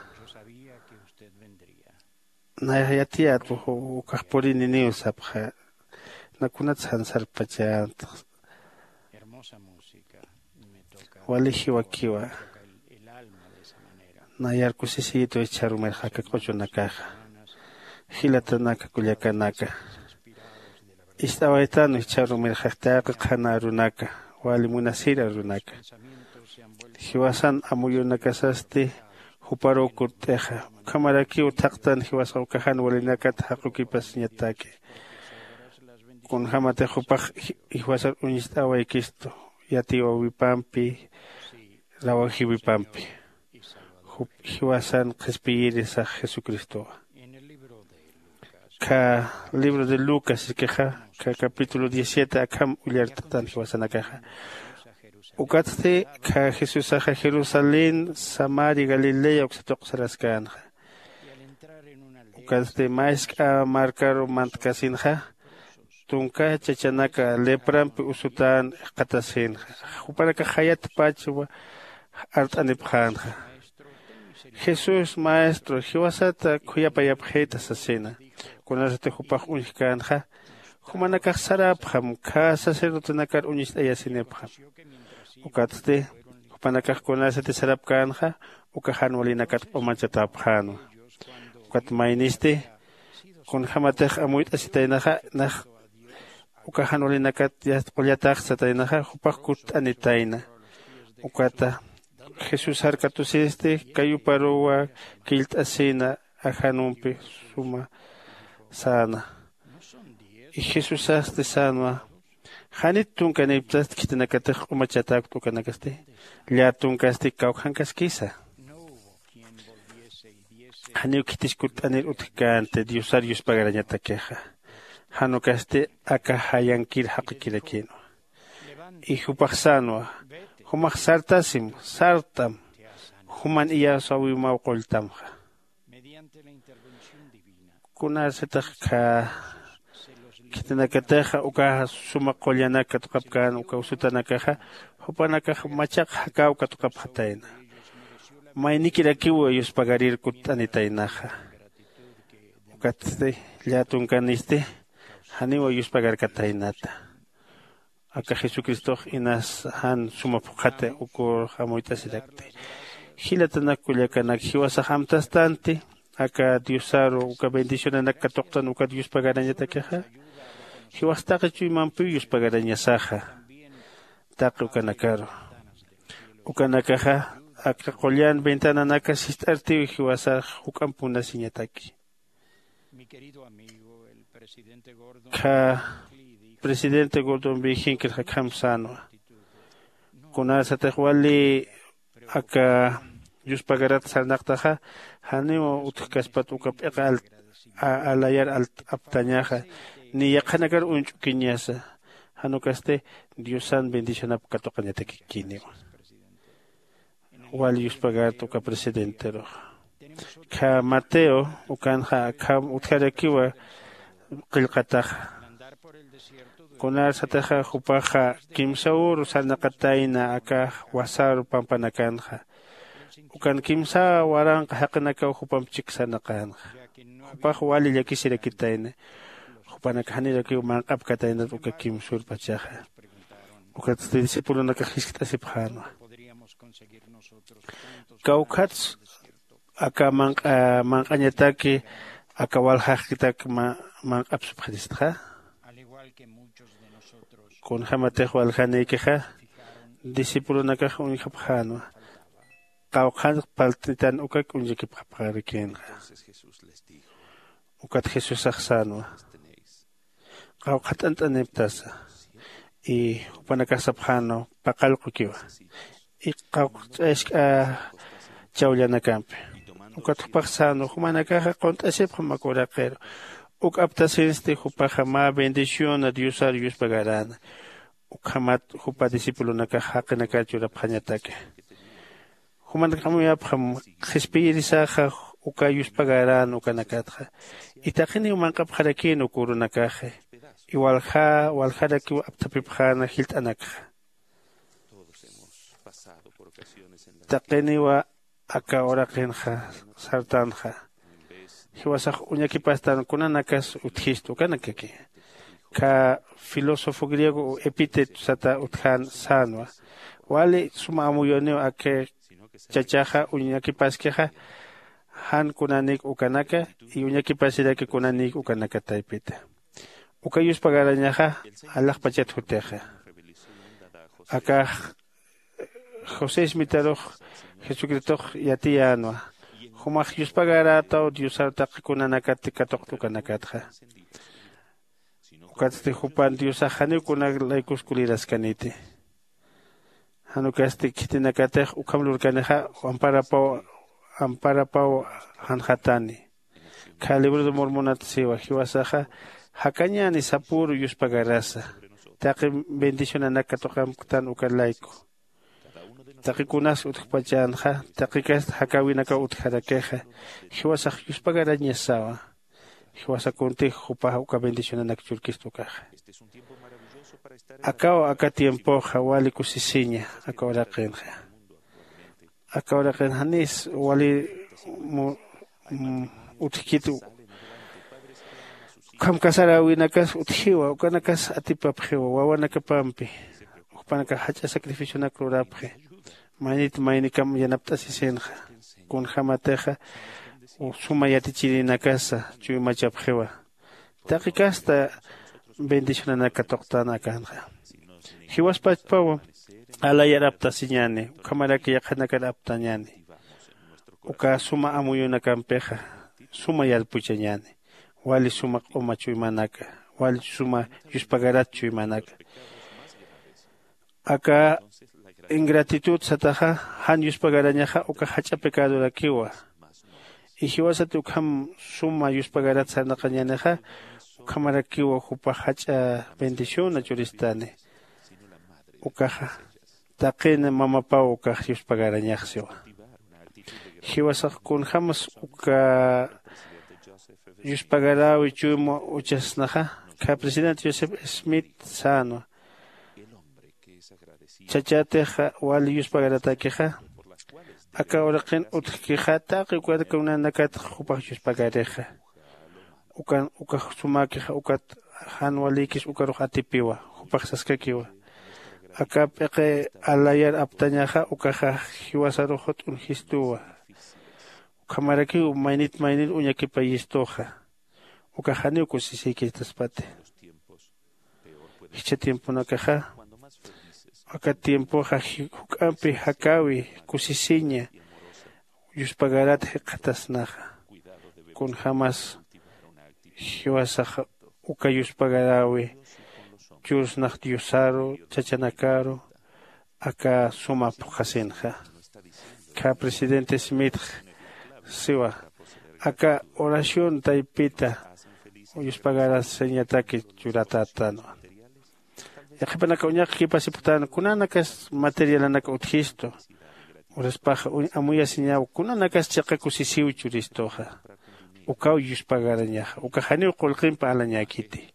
Nayax yatiyät ukax purininiw sapxä. Nakunats jan sarpachänti. Wali jiwakiwa. Nayar kusisiyitwa jichharumirxa aka q'uchunakaxa. Jilatanaka kullakanaka, ist'awaytanwa jichharumirxa taqi qhana arunaka, wali munasir arunaka. Jiwasan amuyunakasasti juparuw kutt'ixa. Ukhamarakiw thaqtan jiwasax uka jan walinakat jaqukipasiñataki. Kunjämatix jupax jiwasar uñst'awaykistu yatiyäwipampi, rawajiwipampi. Jup jiwasan qhispiyirisax jesucristowa. Kha libro de lucas ikixa kha capítulo diecisiete akham ullart'atan jiwasanakaxa. Ukatsti kha jesusaxa jerusalén, samaria, galilea uksa tuqsaraskänxa. Ukatsti mask'a markaru mantkasinxa, tunka chachanaka leprampi usutän jikxatasinxa. Jupanakax jayatpachwa art'anipxänxa. Jesús maestro jiwasata khuyapayapxita sasina. Kunasati jupax uñjkänxa, jumanakax sarapxam khä sacerdotenakar uñist'ayasinipxam. Ukatsti jupanakax kunasati sarapkänxa, uka jan walinakat p'umachatäpxänwa. Ukat maynisti Kunjämatix amuyt'asitaynaxa nax uka jan walinakat yast qullatax sataynaxa jupax kutt'anitayna. Ukata jesusar katusisti kayuparuwa killt'asina ajanumpi suma säna. Y jesusasti sänwa janit tunkaniptast khitinakatix q'umachatäkta ukanakasti llätunkasti kawkhankaskisa. Janiw khitis kutt'anir utjkänti diosar yuspagarañatakixa. Jan ukasti aka jayankir jaqikirakïnwa. Y jupax sänwa jumax sartasim sart'am juman iyawsäwimaw qulltamxa. Kunasatix khä khitinakatixa uka suma qullanak katuqapkän uka usutanakaxa jupanakax machaq jakäw katuqapxatayna. Maynikirakiw yuspagarir kutt'anitaynaxa. Ukatsti llätunkanisti janiw yuspagarkataynata. Aka jesucristox inas jan suma phuqhati ukur amuyt'asirakti. Jilatanak kullakanak jiwasax amtastanti aka diosaru uka bendicionanak katuqtan ukat yuspagarañatakixa? Jiwas taqi chuymampiw yuspagarañasaxa taqi ukanakaru. Ukanakaxa aka qullan ventananaka sist'artiw jiwasax juk'ampunasiñataki. Kha presidente gordon viginkir jakjam sänwa. Kunasatix wali aka yuspagarat sarnaqtaxa janiw utjkaspat uka p'iqa alayar alt'aptañaxa ni yaqhanakar uñch'ukiñasa. Janukasti diosan bendicionap katuqañatakikiniwa. Wal yuspagarta uka presidenterux kha mateo ukanxa akham utjarakiwa. Qillqataxa kunar sataxa jupaxa kimsa uru sarnaqatayna aka wasar pampanakanxa. Ukan kimsa waranqa jaqinakaw jupamp chik sarnaqänxa. Jupax wali llakisirakitayna. Jupanak janirakiw manq'apkataynat uka kimsur pachaxa. Ukatsti discipulonakax jiskt'asipxänwa. Kawkhats aka manq'añataki aka waljaxkitak manq'apsupxaristxa? Kunjämatix waljanïkixa discipulonakax uñjapxänwa. Qawqhan parlt'itan ukak uñchakipxapxarakïnxa. Ukat jesusax sänwa qawqha t'ant'aniptasa. Y jupanakax sapxänwa paqallqukiwa y qawqch'ask'a chawllanakampi. Ukat jupax sänwa jumanakaxa qunt'asipxam aka uraqiru. Uk aptasinsti jupaxa mä bendiciona diosar yuspagaräna. Ukhamat jupa discipulonakax jaqinakar churapxañataki. Jumanak amuyapxam qhispiyirisaxa uka yuspagaran ukanakatxa. Itaqiniw manq'apxarakïn uk urunakaxi iwalja waljarakiw apthapipxäna jilt'anakxa. Taqiniwa aka uraqinxa sartanxa. Jiwasax uñakipastan kunanakas utjistu ukanakaki. Kha filósofo griego epíteto sata utjan sänwa wali suma amuyuniw aka chachaxa uñakipaskixa. Jan kunanik ukanaka y uñakipasiraki kunanik ukanaka taypita. Uka yuspagarañaxa alaxpachat jutixa. Akax josé ismitarux jesucristox yatiyänwa. Jumax yuspagarätaw diosar taqi kunanakat katuqt ukanakatxa. Ukatsti jupan diosax janiw kunak laykus kuliraskaniti. Jan ukasti khitinakatix ukham lurkanixa amparapaw amparapaw janxatani. Kha libro de mormonat siwa jiwasaxa jakañäni sapüru yuspagarasa taqi bendicionanak katuqamktan uka layku. Taqi kunas utjpachänxa taqikast jakäwinakaw utjarakixa. Jiwasax yuspagarañasawa. Jiwasa kuntix jupax uka bendicionanak churkista ukaxa. Akaw aka tiempoxa wali kusisiña aka uraqinxa. Aka uraqin janis wali utjkit. Ukham casaräwinakas utjiwa ukanakas atipapxiwa wawanakapampi. Jupanakax jach'a sacrificionak lurapxi. Maynit maynikam yanapt'asisinxa. Kunjämatixa suma yatichirinakasa chuymachapxiwa. Taqi kasta bendicionanak katuqtän akanxa. Jiwaspachpaw alayar aptasiñäni, ukhamaraki yaqhanakar aptañäni. Uka suma amuyunakampixa suma yarpuchañäni. Wali suma q'uma chuymanaka, wali suma yuspagarat chuymanaka. Aka ingratitud sataxa jan yuspagarañaxa uka jach'a pecadurakiwa. Y jiwasati ukham suma yuspagarat sarnaqañänixa, ukhamarakiwa jupax jach'a bendiciona churistani. Ukaxa taqin mamapaw ukax yuspagarañaxsiwa. Jiwasax kunjämas uka yuspagaräwi chuyma uchasnaxa, kha presidente Joseph Smith sänwa. Chachatix wali yuspagaratakixa, aka uraqin utjkixa taqi ukarkunanakat jupax yuspagarixa. Ukan ukax sumäkixa ukat jan walïkis ukarux atipiwa, jupax saskakiwa. Aka p'iqi alayar aptañaxa ukaxa jiwasarux jut'un jistuwa. Ukhamarakiw maynit maynir uñakipayistuxa. Ukax janiw kusisïkitaspati. Jichha tiemponakaxa, aka tiempoxa juk'ampi jakäwi kusisiña yuspagarat jikxatasnaxa. Kunjämas jiwasax uka yuspagaräwi churasnax diosaru chachanakaru, aka suma phuqhasinxa. Kha presidente Smith siwa, aka oración taypita yuspagarasiñataki churatätanwa. Yaqhipanaka uñaqkipasipxtan kunanakas materialanak utjistu. Uraspax amuyasiñaw kunanakas chiqa kusisiw churistuxa. Ukaw yuspagarañaxa uka janiw qullqimp alañäkiti.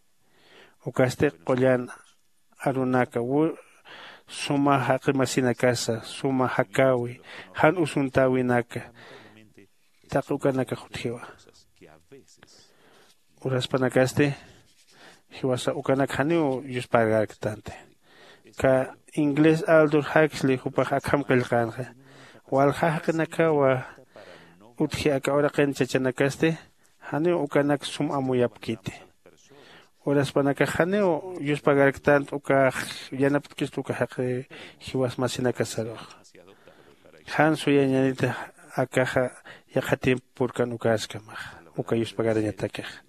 Ukasti qullan arunaka suma jaqimasinakasa suma jakäwi jan usuntäwinaka taqi ukanakax utjiwa. Uraspanakasti jiwasa ukanak janiw yuspagarktanti. Ka inglés aldor jaksli jupax akham qillqänxa, walja jaqinakawa utji aka uraqin chachanakasti janiw ukanak sum amuyapkiti. Uraspanakax janiw yuspagarktant ukax yanapt'kist uka jaqi jiwas masinakasarux. Jan suyañanita akaxa yaqha tiempo purkan ukaskamax uka yuspagarañatakixa.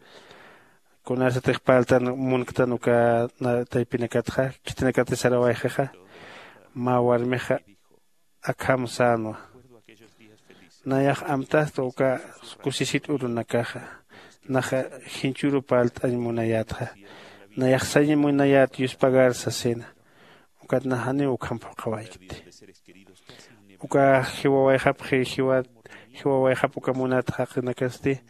Kunasatix parltan munktan uka taypinakatxa khitinakati sarawayxixa, mä warmixa akham sänwa. Nayax amtasta uka kusisit urunakaxa, naxa jinchuru parlt'añ munayätxa, nayax sañ munayät yuspagar sasina. Ukat nax janiw ukham phuqhawaykti. Uka jiwawayxapxi jiwawayxap uka munat jaqinakasti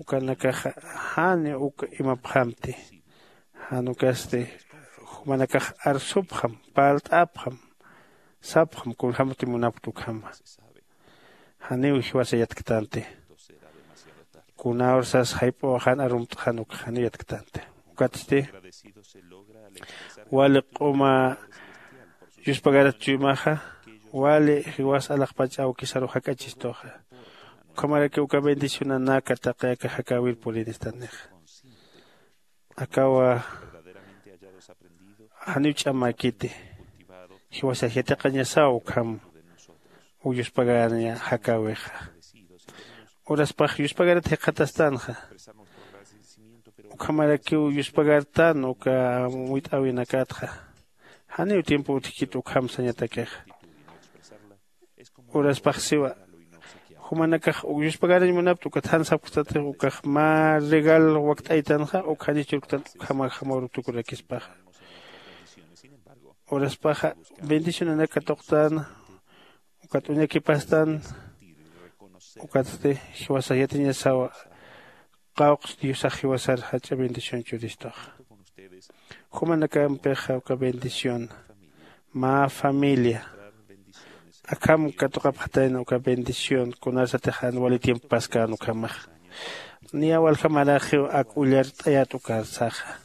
ukanakaxa jani uk imapxamti. Jan ukasti jumanakax arsupxam, parlt'apxam, sapxam kunjämti munapkta ukhama. Janiw jiwasa yatktanti. Kunäwir sas jayp'uwa jan arumt'xan ukxa janiw yatktanti. Ukatsti wali q'uma yuspagarat chuymaxa wali jiwas alaxpach awkisaru jak'achistuxa. Ukhamarakiw uka bendicionanaka taqi aka jakäwir purinistanixa. Akawa janiw ch'amäkiti. Jiwasax yatiqañasaw ukham uk yuspagaraña jakäwixa. Uraspax yuspagarat jikxatastanxa. Ukhamarakiw yuspagartan uka amuyt'äwinakatxa. Janiw tiempo utjkit ukham sañatakixa. Uraspax siwa, jumanakax uk yuspagarañ munapkta ukat jan sapktatix ukax mä regal wakt'aytanxa uk jani churktan ukhamaxamar tukurakispaxa. Uraspaxa bendicionanak katuqtän ukat uñakipastan. Ukatsti jiwasax yatiñasawa qawqs diosax jiwasar jach'a bendición churistuxa. Jumanakampixa uka bendición mä familia akham katuqapxatayna uka bendición kunarsatix jan wali tiempo paskän ukhamaxa. Niya walja maraxiw ak ullart'ayät ukarsaxa.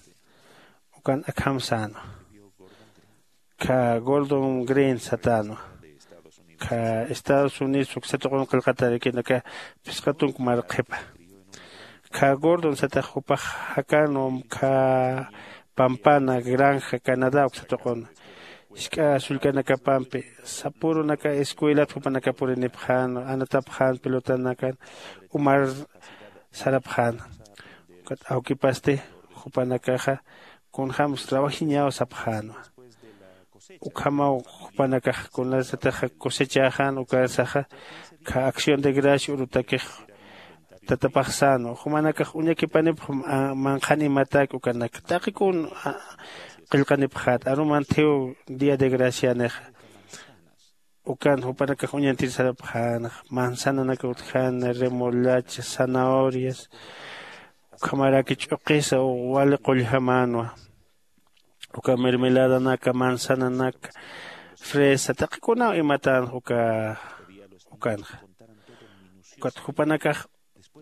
Ukan akham sänwa. Kha gordon green satänwa. Kha estados unidos uksa tuqun qillqatarakina kha phisqa tunka mar qhipa. Kha gordon satax jupax jakanwa kha pampana granja canadá uksa tuqun. Jisk'a sullkanakapampi sapürunaka escuelat jupanaka purinipxänwa anatapxän pelotanakan umar sarapxäna. Ukat awkipasti jupanakaxa kunjämsa trabajiñaw sapxänwa. Ukhamaw jupanakax kunasataxa cosechäxän ukarsaxa kha acción de gracia urutakix tatapaxsänwa jumanakax uñakipanipx manqhan imatak ukanak taqi kun qillqanipxät aruman thiw día de gracianixa. Ukan jupanakax uñantir sarapxänxa manzananaka utjäna remolacha zanahorias ukhamaraki ch'uqisa wali qulljamanwa. Uka mermeladanaka manzananaka fresa taqikunaw imatänxa uka ukanxa. Ukat jupanakax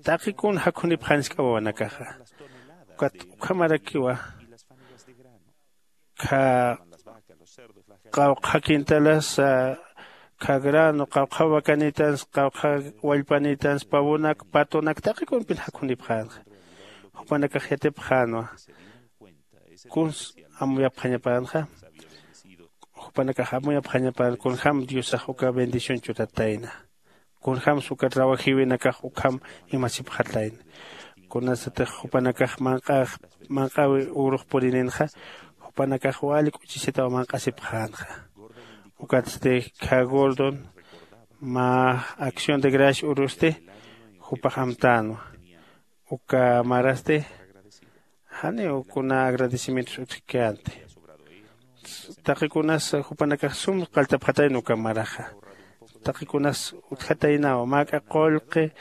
taqikun jakhunipxanisk'a wawanakaxa. Ukat ukhamarakiwa kha qawqha quintalasa kha grano qawqha wakanitans qawqha wallpanitans pavonak patonak taqikunpin jakhunipxänxa. Jupanakax yatipxänwa kuns amuyapxañapänxa. Jupanakax amuyapxañapän kunjäm diosax uka bendición churatayna kunjämsa uka trabajiwinakax ukham imasipxatayna. Kunasatix jupanakax manq'äwi urux purininxa jupanakax wali k'uchisitaw manq'asipxänxa. Ukatsti kha gordon mä acción de gracia urusti jupax amtänwa. Uka marasti janiw kuna agradecimientos utjkänti. Taqikunas jupanakax sum qalltapxatayna uka maraxa. Taqikunas utjataynaw mäk'a qullqi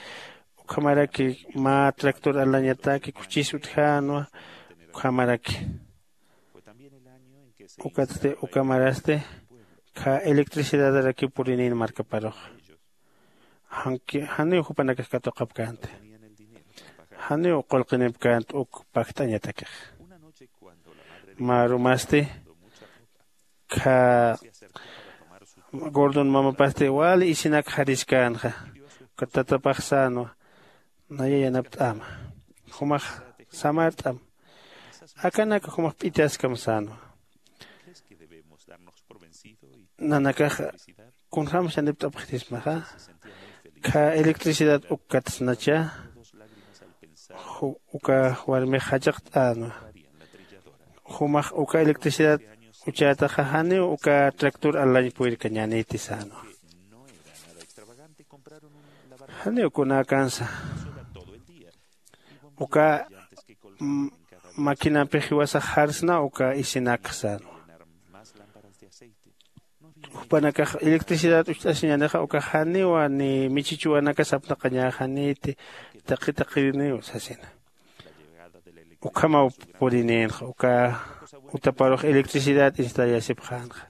ukhamaraki mä tractor alañataki kuchis utjänwa. Ukhamaraki ukatsti ukamarasti kha electricidadarakiw purinin markaparux. Janiw jupanakax katuqapkänti. Janiw qullqinipkänti uk pakt'añatakix. Mä arumasti kha gordon mamapasti wali isinak jariskänxa. Ukat tatapax sänwa naya yanapt'äma. Jumax samart'am. Akanaka jumax p'itaskam sänwa. Nanakaxa kunjämsa yanipt'apxtismaxa. Kha electricidad ukkatsnacha uka warmix jachaqt'änwa. Jumax uka electricidad uchätaxa janiw uka tractor alañ purirkañäniti sänwa. Janiw kunäkansa uka maquinampix jiwasax jarsna uka isinakx sänwa. Jupanakax electricidad ucht'asiñänixa ukax janiwa ni michichuwanakas apnaqañäxaniti taqi taqiniw sasina. Ukhamaw purininxa uka utaparux electricidad installasipxänxa.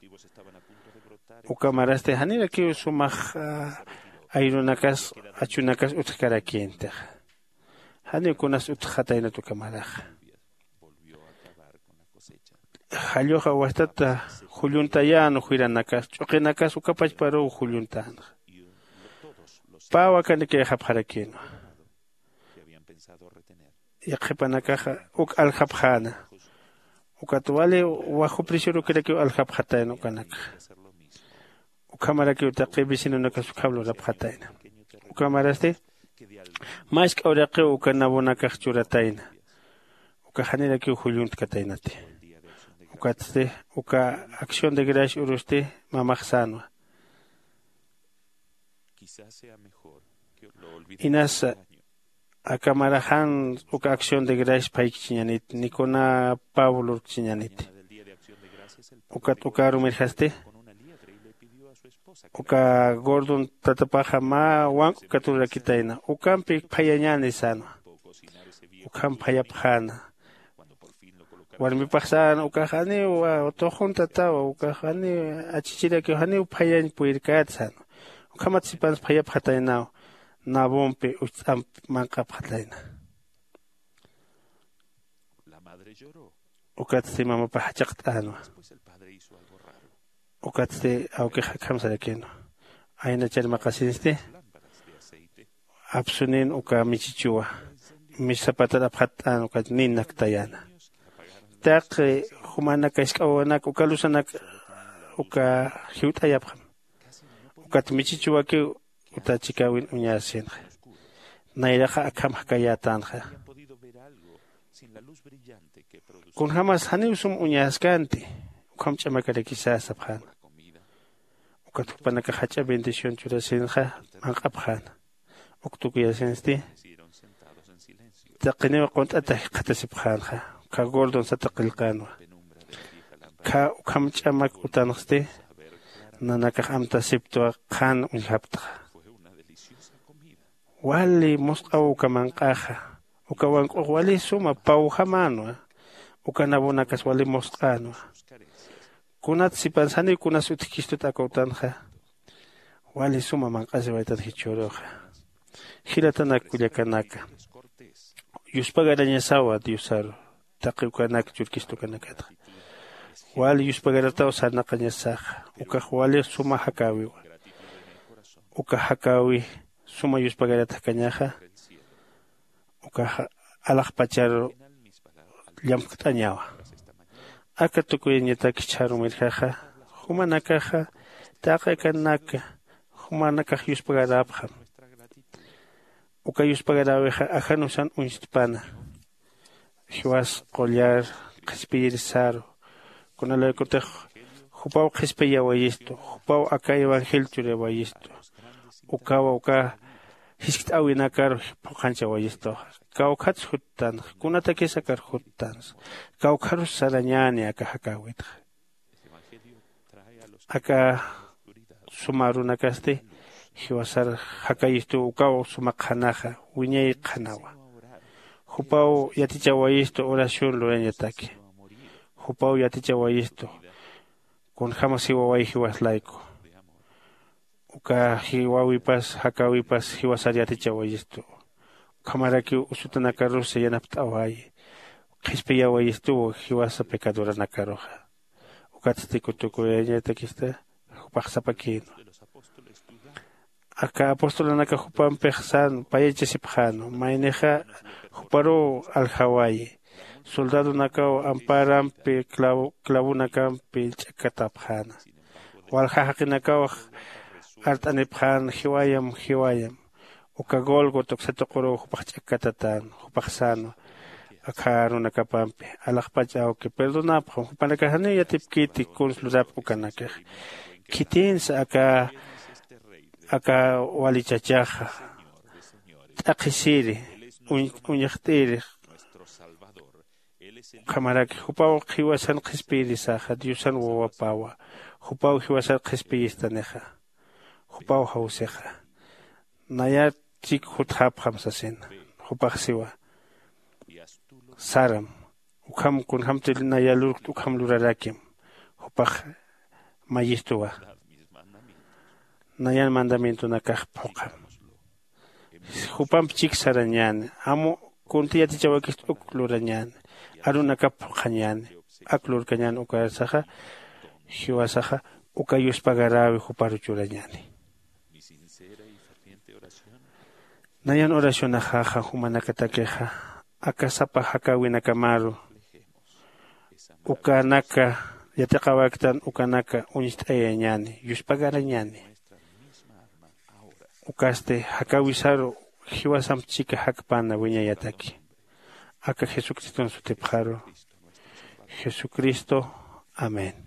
Uka marasti janirakiw sumax ayrunakas achunakas utjkarakïntixa. Janiw kunas utjxataynat uka maraxa. Jalluxa wastata julluntayän juyranakas ch'uqinakas uka pachparuw julluntänxa. Pä wakanikayxapxarakïnwa. Yaqhipanakaxa uk aljapxäna. Ukat wali wajuprisirukirakiw aljapxatayna ukanakxa. Ukhamarakiw taqi vecinonakas ukham lurapxatayna. Ukhamarasti mask'a uraqiw uka nabonakax churatayna. Uka janirakiw julluntkatäynati. Ukatsti uka acción de gracia urusti mamax sänwa. Inasa aka maraxan uka acción de gracias phaykichiñaniti ni kuna pablo lurkichiñaniti. Ukat ukaru mirjasti uka gordon tatapaxa mä wank'u katurakitayna ukampi phayañäni sänwa. Ukham phayapxäna. Warmipax sän ukax janiw tuxuntatawa ukax janiw achichirakiw janiw phayañ purirkät sän. Ukhamat sipans phayapxataynaw nabompi ucht'amp manq'apxatayna. Ukatsti mamapax jachaqt'änwa. Ukatsti awkix akham sarakinwa. Aynachar maqasinsti apsunin uka michichuwa, misapatar apxatt'an uka ninnaktayana. Taqi jumanaka isk'awanak uka lusanak uka jiwt'ayapxam. Ukat michichuwakiw uta chikawin uñasinxa. Nayraxa akham jakayätanxa. Kunjämas janiw sum uñaskanti ukham ch'amakarakisasa pxäna. Ukat jupanakax jach'a bendición churasinxa manq'apxäna. Uk tukuyasinsti taqiniw qunt'ata jikxatasipxänxa. Ukkha gordon sata qillqänwa. Ukkha ukham ch'amak utanxsti nanakax amtasiptwa qhan uñjaptxa. Wali musq'aw uka manq'axa. Uka wank'ux wali suma pawjamänwa. Uka nabonakas wali musq'änwa. Kunat sipan saniw kunas utjkistut aka utanxa. Wali suma manq'asiwaytan jichhüruxa. Jilatanak kullakanaka, yuspagarañasawa diosaru taqi ukanak churkistukanakatxa. Wali yuspagarataw sarnaqañasaxa. Ukax wali suma jakäwiwa. Uka jakäwi suma yuspagarat jakañaxa. Ukaxa alaxpacharu llamkt'añawa. Aka tukuyañatak jichhärumirjaxa jumanakaxa taqi akanaka jumanakax yuspagarapxam. Uka yuspagaräwixa ajanusan uñstpana. Jiwas qullar qhispiyirisaru. Kunalaykutix jupaw qhispiyawayistu jupaw aka evangelio churawayistu. Ukawa uka jiskt'äwinakaru phuqhanchawayistuxa. Kawkhats juttanxa kunatakis akar juttansa. Kawkharus sarañäni aka jakäwitxa. Aka suma arunakasti jiwasar jakayistuw ukaw suma qhanaxa wiñay qhanawa. Jupaw yatichawayistu oración lurañataki. Jupaw yatichawayistu kunjämas jiwaway jiwas layku. Uka jiwawipas jakäwipas jiwasar yatichawayistu. Ukhamarakiw usutanakarus yanapt'awayi. Qhispiyawayistuw jiwasa pecadoranakaruxa. Ukatsti kutukuyañatakista jupax sapakïnwa. Aka apostolanaka jupampix sän payachasipxänwa maynixa juparuw aljawayi. Soldadonakaw amparampi clavonakampi ch'akkatapxäna. Walja jaqinakaw art'anipxän jiwayam jiwayam. Uka gólgota uksa tuquruw jupax ch'akkatatän. Jupax sänwa akha arunakapampi alaxpach awki perdonapxam jupanakax janiw yatipkiti kuns lurapki ukanakax. Khitinsa aka aka wali chachaxa t'aqhisiri uñaxt'iri. Ukhamaraki jupaw jiwasan qhispiyirisaxa diosan wawapawa. Jupaw jiwasan qhispiyistanixa. Jupaw jawsixa. Nayar chik jutxapxam sasina. Jupax siwa saram. Ukham kunjämti naya lurkt ukham lurarakim. Jupax mayistuwa. Nayan mandamientonakax phuqham. Jupamp chik sarañäni amu kunti yatichawakist uk lurañäni. Arunakap phuqhañäni. Ak lurkañäni ukarsaxa jiwasaxa uka yuspagaräwi juparu churañäni. Nayan oracionaxaxa jumanakatakixa aka sapa jakäwinakamaru ukanaka yatiqawaktan ukanaka uñst'ayañäni yuspagarañäni. Ukasti jakäwisaru jiwasamp chika jakpana wiñayataki. Aka jesucriston sutipxaru jesucristo. Amén.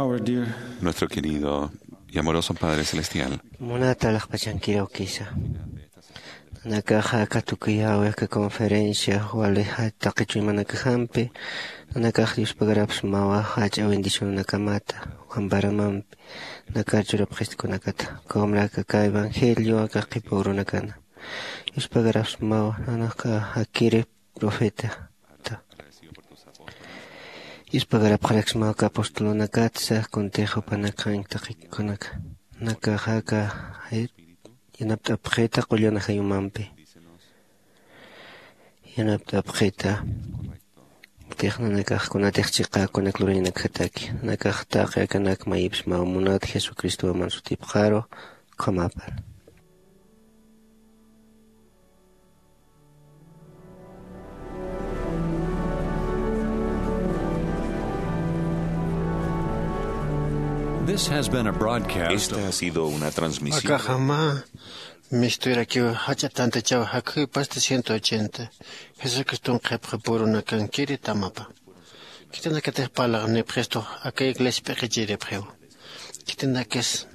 Our dear Nuestro querido y amoroso Padre Celestial. Munata alaxpachankiraw kisa. Nanakaxa aka tukuyäwi aka conferencia wali taqi chuymanakajampi, nanakax Diospagarapsmawa jach'a bendicionanakamata wamparamampi nakar churapxistikunakata, ukhamarak aka evangelio aka qhipa urunakana. Diospagarapsmawa nanakax akiri profeta. Diospagarapxaraksmawa aka apostolunakatsa kuntix jupanakañ taqikunak. Nakaxaka yanapt'apxita qullan ajayumampi. Yanapt'apxita. Tix nanakax kunatix chiqa kunak lurañanakjataki. Nakax taqi akanak mayipsmaw munat Jesucristoman sutipxaru. Ukhamapan. This has been a broadcast. Esta ha sido una transmisión. Akaxama misturakiw jach'a tantachaw jakxipasti ciento ochenta. Jesucriston qhipxi purunakankiri tamapa. Khitinakatix parlaxnipxistu aka iglesia p'iqichiripxiw. Khitinakis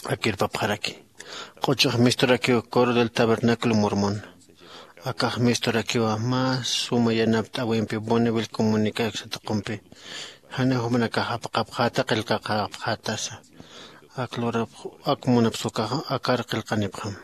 akirpapxaraki. Q'uchux misturakiw Coro del Tabernáculo Mormón. Akax misturakiwa mä suma yanapt'äwimpi Bonneville Comunicados satuqumpi. Janiw jumanakax apaqapxäta qillqaqapxätasa. Ak lurap ak munapsukax akar qillqanipxam.